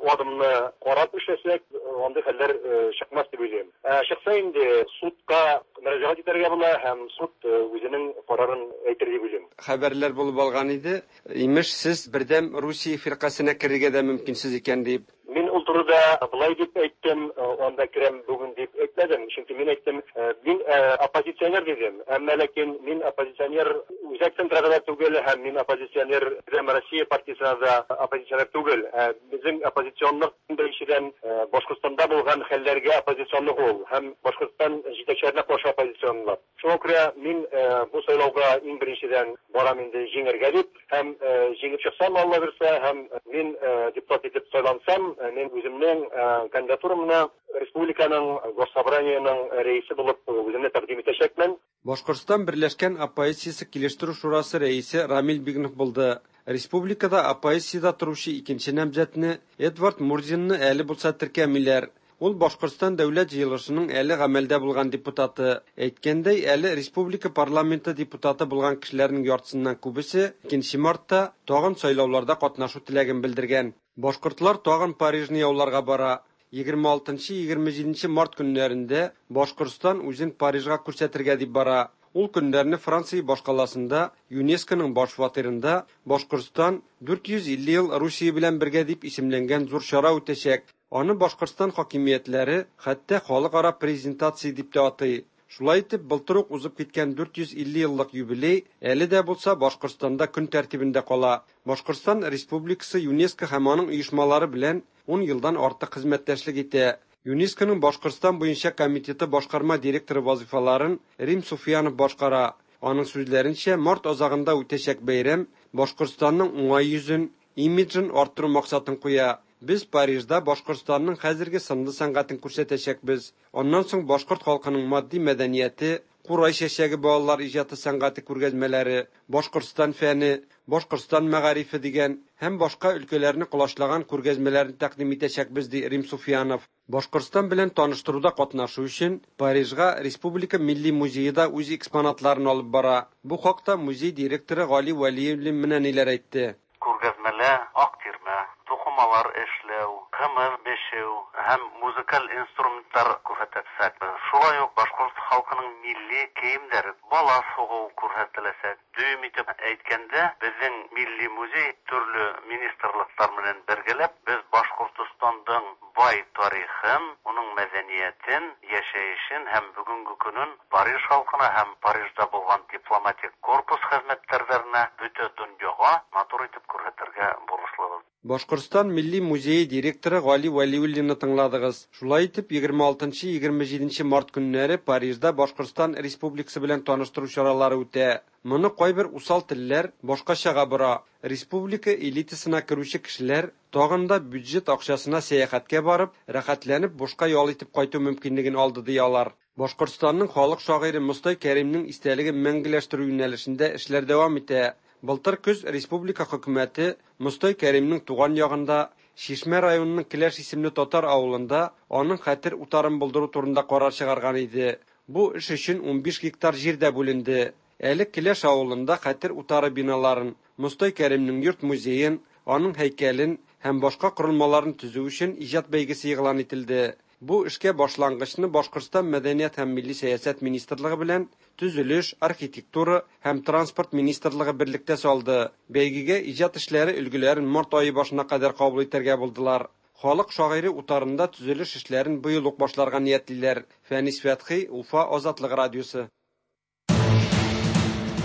адымны карап эшләсәк, андый хәлләр чыкмас дип уйлыйм. Чыкса инде судка мөрәҗәгать итәргә була һәм суд үзенең карарын әйтер дип уйлыйм. Хәбәрләр булып алган иде. Имеш, сез Бердәм Русия фиркасенә керергә дә мөмкинсез икән дип. Мин ул турыда болай дип әйттем, анда керәм бүген дип әйтмәдем, чөнки мин әйттем, мин оппозиционер дидем, әмма ләкин мин оппозиционер Үзәк центрга да түгел һәм мин оппозиционер Бердәм Россия партиясенә дә оппозиционер түгел. Ә безнең оппозиционлык беренчедән Башкортстанда булган хәлләргә оппозиционлык ул һәм Башкортстан җитәкчеләренә каршы оппозиционлык. Шуңа күрә мин бу сайлауга иң беренчедән барам инде җиңәргә дип. Һәм җиңеп чыксам, Алла бирсә, һәм мин депутат итеп сайлансам, мин үземнең кандидатурамны республиканың Госсобраниенең рәисе булып үземне тәкъдим итәчәкмен. Башкортстан Берләшкән оппозициясе килештерү шурасы рәисе Рамил Бигнов булды. Республикада оппозициядә торучы икенче намзәтне, Эдвард Мурзинны әле булса теркәмиләр. Ул Башкортстан Дәүләт Җыелышының әле гамәлдә булган депутаты. Әйткәндәй, әле республика парламенты депутаты булган кешеләрнең яртысыннан күбесе икенче мартта тагын сайлауларда катнашу теләген белдергән. Башкортлар тагын Парижны яуларга бара. 26-27 март көннәрендә Башкортстан үзен Парижга күрсәтергә дип бара. Ул көннәрне Франция башкаласында ЮНЕСКОның баш фатирында Башкортстан 450 ел Русия белән бергә дип исемләнгән зур чара үтәчәк. Аны Башкортстан хакимиятләре хәтта халыкара презентация дип тә атый. Шулай итеп, былтыр ук узып киткән 450 еллык юбилей әле дә булса Башкортстанда көн тәртибендә кала. Башкортстан Республикасы ЮНЕСКО һәм аның оешмалары белән ун елдан артык хезмәттәшлек итә. ЮНЕСКОның Башкортстан буенча комитеты башкарма директоры вазыйфаларын Рим Суфиянов башкара. Аның сүзләренчә, март азагында үтәчәк бәйрәм Башкортстанның уңай йөзен, имиджын арттыру максатын куя. Без Парижда Башкортстанның хәзерге сынлы сәнгатен күрсәтәчәкбез. Аннан соң башкорт халкының матди мәдәнияте, Курай чәчәге балалар иҗаты сәнгате күргәзмәләре, Башкортстан фәне, Башкортстан мәгарифе дигән һәм башка өлкәләрне колачлаган күргәзмәләрне тәкъдим итәчәкбез, ди Рим Суфиянов. Башкортстан белән таныштыруда катнашу өчен Парижга Республика милли музее да үз экспонатларын алып бара. Бу хакта музей директоры Гали Вәлиуллин менә ниләр әйтте. Күргәзмәлә ак тирмә, тукымалар эшләү, кымыз бешеү һәм музыкаль инструментлар күрсәтәчәкбез. Шулай ук башкорт халкының милли киемнәре, бала сугу күрсәтеләчәк. Дөем итеп әйткәндә, безнең милли музей төрле министрлыклар белән бергәләп, без Башкортостандың бай тарихын, уның мәдәниятен, яшәешен һәм бүгенге көнен Париж халкына һәм Парижда булган дипломатик корпус хезмәткәрләренә, бөтә дөньяга матур итеп күрсәтергә бурычлыбыз. Башкортстан Милли музее директоры Гали Вәлиуллинны тыңладыгыз. Шулай итеп, 26-27 март көннәре Парижда Башкортстан Республикасы белән таныштыру чаралары үтә. Моны кайбер усал телләр башкачага бора. Республика элитасына керүче кешеләр тагын да бюджет акчасына сәяхәткә барып, рәхәтләнеп бушка ял итеп кайту мөмкинлеген алды, ди алар. Башкортстанның халык шагыйре Мостай Кәримнең истәлеген мәңгеләштерү юнәлешендә эшләр дәвам итә. Былтыр көз республика хөкүмәте Мостай Кәримнең туган ягында, Чишмә районының Келәш исемле татар авылында аның хәтер утарын булдыру турында карар чыгарган иде. Бу эш өчен 15 гектар җир дә бүленде. Әле Келәш авылында хәтер утары биналарын, Мостай Кәримнең йорт-музеен, аның һәйкәлен һәм башка корылмаларын төзү өчен иҗат бәйгесе игълан ителде. Бу эшкә башлангычны Башкортстан Мәдәният һәм милли сәясәт министрлыгы белән Төзелеш, архитектура һәм транспорт министрлыгы берлектә салды. Бәйгегә иҗат эшләре өлгеләрен март ае башына кадәр кабул итәргә булдылар. Халык шагыйре утарында төзелеш эшләрен быел ук башларга ниятлиләр. Фәнис Фәтхи, Уфа, Азатлык радиосы.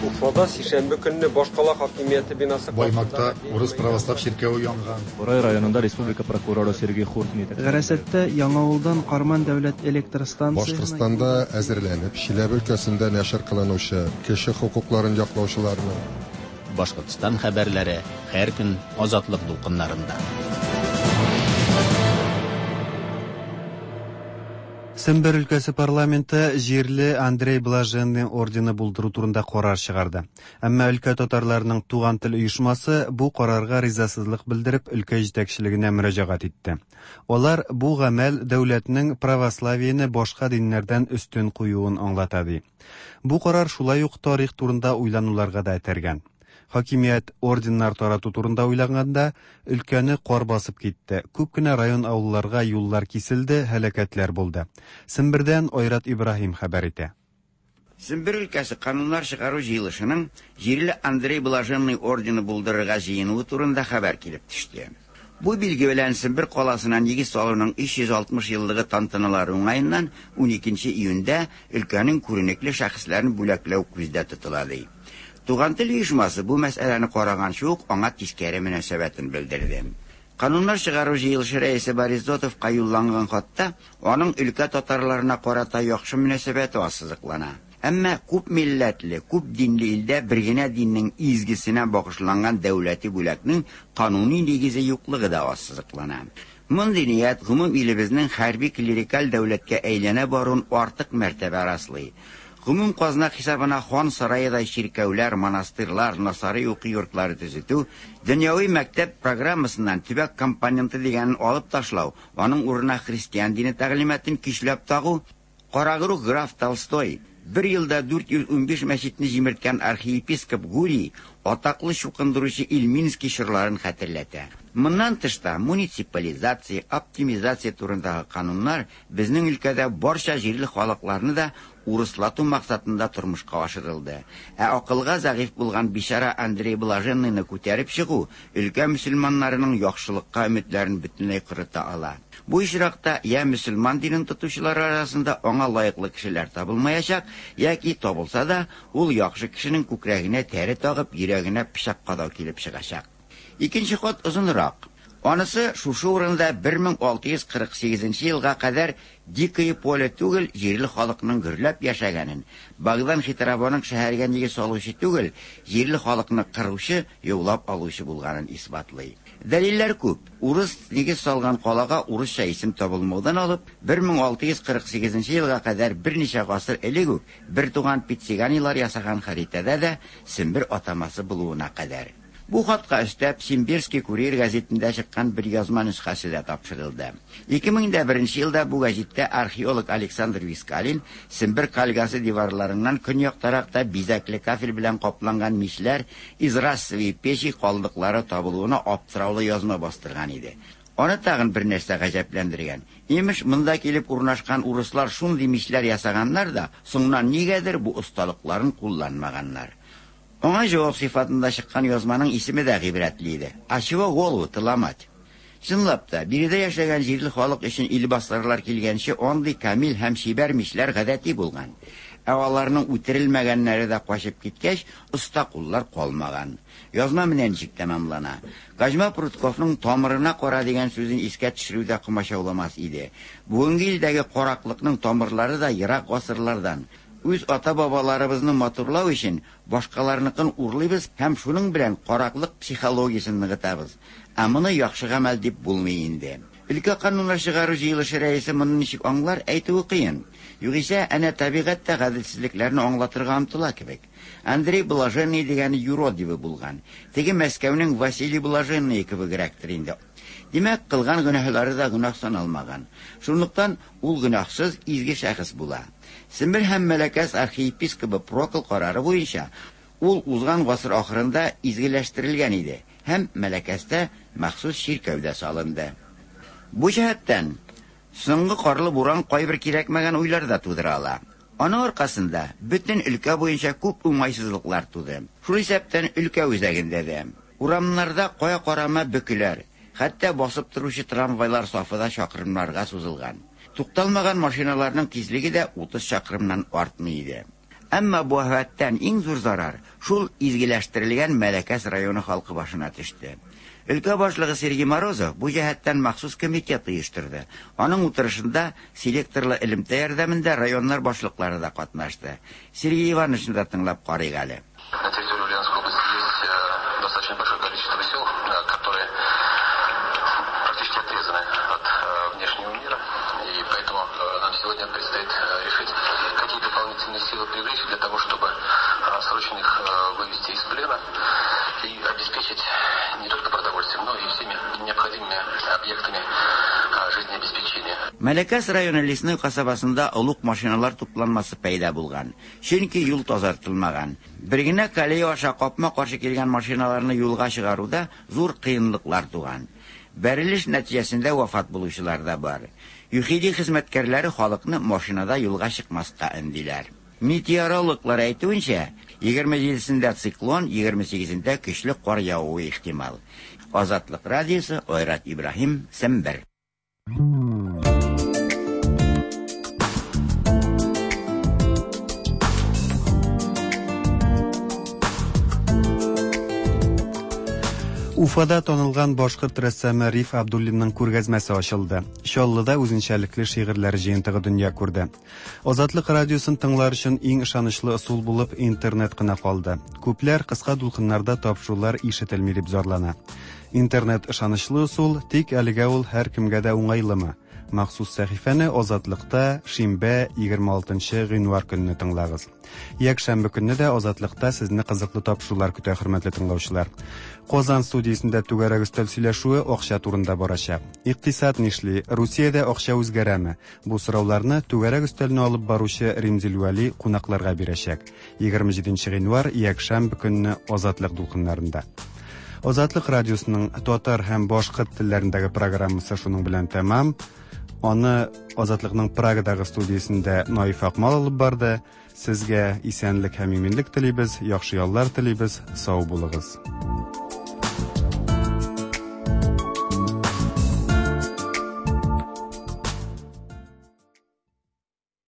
Уфада сишәмбе көнне башкала хакимияте бинасы Баймакта урыс православ чиркәве янган. Борай районында республика прокуроры Сергей Хуртин итәкчелегендәге. Гарәсәттә Яңавылдан Карман дәүләт электр станциясенә Башкортстанда әзерләнеп, Чиләбе өлкәсендә нәшер кылынучы кеше хокукларын яклаучыларның, Башкортстан хәбәрләре һәр көн Азатлык дулкыннарында. Сембер өлкәсе парламенты җирле Андрей Блаженный ордены булдыру турында карар чыгарды. Әмма өлкә татарларының Туган тел оешмасы бу карарга ризасызлык белдереп өлкә җитәкчелегенә мөрәҗәгать итте. Алар бу гамәл дәүләтнең православиене башка диннәрдән өстен куюын аңлата ди. Бу карар шулай ук тарих турында уйлануларга да этәргән. Хакимият орденнар тарату турында уйланганда, өлкәне кар басып китте, күп кенә район-авылларга юллар киселде, һәлакәтләр булды. Сембердән Айрат Ибраһим хәбәр итә. Сембер өлкәсе Кануннар чыгару җыелышының җирле Андрей Блаженный ордены булдырырга җыенуы турында хәбәр килеп төште. Бу билге белән Сембер каласына нигез салуның 360 еллыгы тантаналары уңаеннан 12 июньдә өлкәнең күренекле шәхесләрен бүләкләү күздә тотыла, ди. Туган тел оешмасы бу мәсьәләне караганчы ук аңа тискәре мөнәсәбәтен белдерде. Кануннар чыгару җыелышы рәисе Борис Зотовка юлланган хатта аның өлкә татарларына карата яхшы мөнәсәбәте ассызыклана. Әмма күп милләтле, күп динле илдә бер генә диннең изгесенә багышланган дәүләти бүләкнең кануни нигезе юклыгы да ассызыклана. Мондый ният гомум илебезнең хәрби-клерикаль дәүләткә әйләнә баруын артык мәртәбә раслый. Гомум казна хисабына хан сараедай чиркәүләр, монастырьлар, насарый уку йортлары төзетү, дөньяви мәктәп программасыннан төбәк компоненты дигәнен алып ташлау, аның урынына христиан дине тәгълиматын көчләп тагу, Карагруһ граф Толстой, бер елда 415 мәчетне җимерткән архиепископ Гурий, атаклы чукындыручы Ильминский чорларын хәтерләтә. Моннан тыш та муниципализация, оптимизация турындагы кануннар безнең өлкәдә барча җирле халыкларны да урыслату максатында тормышка ашырылды. Ә акылга зәгыйфь булган бичара Андрей Блаженныйны күтәреп чыгу өлкә мөселманнарының яхшылыкка өметләрен бөтенләй корыта ала. Бу очракта я мөселман динен тотучылар арасында аңа лаеклы кешеләр табылмаячак, яки табылса да, ул яхшы кешенең күкрәгенә тәре тагып, йөрәгенә пычак кадау килеп чыгачак. Икенче хат озынрак. Анысы шушы урында 1648 елга кадәр Дикое поле түгел, җирле халыкның гөрләп яшәгәнен, Богдан Хитровоның шәһәргә нигез салучы түгел, җирле халыкны кыручы, яулап алучы булганын исбатлый. Дәлилләр күп. Урыс нигез салган калага урысча исем табылмаудан алып, 1648 елга кадәр берничә гасыр элек үк бертуган Пициганилар ясаган хәритәдә дә Сембер атамасы булуына кадәр. Бу хатка өстәп, Симбирский курьер гәзитендә чыккан бер язма нөсхәсе дә тапшырылды. 2001 елда бу гәзиттә археолог Александр Вискалин Сембер кальгасы диварларыннан көньяктарак та бизәкле кафель белән капланган мичләр, изразцевые печи калдыклары табылуына аптыраулы язма бастырган иде. Аны тагын бер нәрсә гаҗәпләндергән. Имеш, монда килеп урнашкан урыслар шундый мичләр ясаганнар да, соңыннан нигәдер бу осталыкларын кулланмаганнар. Аңа җавап сыйфатында чыккан язманың исеме дә гыйбрәтле иде, А чего голову-то ломать? Чынлап та, биредә яшәгән җирле халык өчен илбасарлар килгәнче андый камил һәм чибәр мичләр гадәти булган. Ә аларның үтерелмәгәннәре дә качып киткәч, оста куллар калмаган. Язма менә ничек тәмамлана. Козьма Прутковның тамырына кара дигән сүзен искә төшерү дә комачауламас иде. Бүгенге илдәге караклыкның тамырлары да ерак гасырлардан. Үз ата-бабаларыбызны матурлау өчен башкаларныкын урлыйбыз һәм шуның белән караклык психологиясен ныгытабыз. Ә моны яхшы гамәл дип булмый инде. Өлкә кануннар чыгару җыелышы рәисе моны ничек аңлар, әйтүе кыен. Югыйсә, әнә табигать тә гаделсезлекләрне аңлатырга омтыла кебек. Андрей Блаженный дигәне юродивый булган. Теге Мәскәүнең Василий Блаженные кебегрәктер инде. Димәк, кылган гөнаһлары да гөнаһ саналмаган. Шунлыктан ул гөнаһсыз, изге шәхес була. Сембер һәм Мәләкәс архиепискобы Прокл карары буенча, ул узган гасыр ахырында изгеләштерелгән иде һәм Мәләкәстә махсус чиркәү дә салынды. Бу җәһәттән, соңгы карлы буран кайбер кирәкмәгән уйлар да тудыра ала. Аның аркасында бөтен өлкә буенча күп уңайсызлыклар туды. Шул исәптән өлкә үзәгендә дә. Урамнарда кая карама бөкеләр, хәтта басып торучы трамвайлар сафы да чакрымнарга сузылган. Тукталмаган машиналарның тизлеге дә 30 чакрымнан артмый иде. Әмма бу афәттән иң зур зарар шул изгеләштерелгән Мәләкәс районы халкы башына төште. Өлкә башлыгы Сергей Морозов бу җәһәттән махсус комитет оештырды. Аның утырышында селекторлы элемтә ярдәмендә районнар башлыклары да катнашты. Сергей Ивановичны да тыңлап карыйк әле. На территории Ульяновской области есть достаточно большое количество сел, которые практически отрезаны от внешнего мира. И поэтому нам сегодня предстоит решить, какие дополнительные силы привлечь для того, чтобы срочно их вывести из плена и обеспечить не только продовольствием, но и всеми необходимыми объектами жизнеобеспечения. Мәләкәс районы Лесной касабасында олуг машиналар тупланмасы пәйда булган. Чөнки юл тазартылмаган. Бер генә колея аша капма-каршы килгән машиналарны юлга чыгаруда зур кыенлыклар туган. Бәрелеш нәтиҗәсендә вафат булучылар да бар. ЮХИДИ хезмәткәрләре халыкны машинада юлга чыкмаска өндиләр. Метеорологлар әйтүенчә, 27-сендә циклон, 28-ендә көчле кар явуы ихтимал. Азатлык радиосы, Айрат Ибраһим, Сембер. Уфада танылган башкорт рәссамы Риф Абдуллинның күргәзмәсе ачылды. Чаллыда үзенчәлекле шигырьләр җыентыгы дөнья күрде. Азатлык радиосын тыңлар өчен иң ышанычлы ысул булып интернет кына калды. Күпләр кыска дулкыннарда тапшырулар ишетелми дип зарлана. Интернет ышанычлы ысул, тик әлегә ул һәркемгә дә уңайлымы? Махсус сәхифәне Азатлыкта шимбә 26 гыйнвар көнне тыңлагыз. Якшәмбе көнне дә Азатлыкта сезне кызыклы тапшырулар көтә, хөрмәтле тыңлаучылар. Казан студиясендә түгәрәк өстәл сөйләшүе акча турында барачак. Икътисад нишли? Русиядә акча үзгәрәме? Бу сорауларны түгәрәк өстәлне алып баручы Римзил Вәли кунакларга бирәчәк. 27 гыйнвар, якшәмбе көнне Азатлык дулкыннарында. Азатлык радиосының татар һәм башкорт телләрендәге программасы шуның белән тәмам. Аны Азатлыкның Прагадагы студиясендә Наиф Акмал алып барды. Сезгә исәнлек һәм иминлек телибез, яхшы яллар телибез. Сау булыгыз.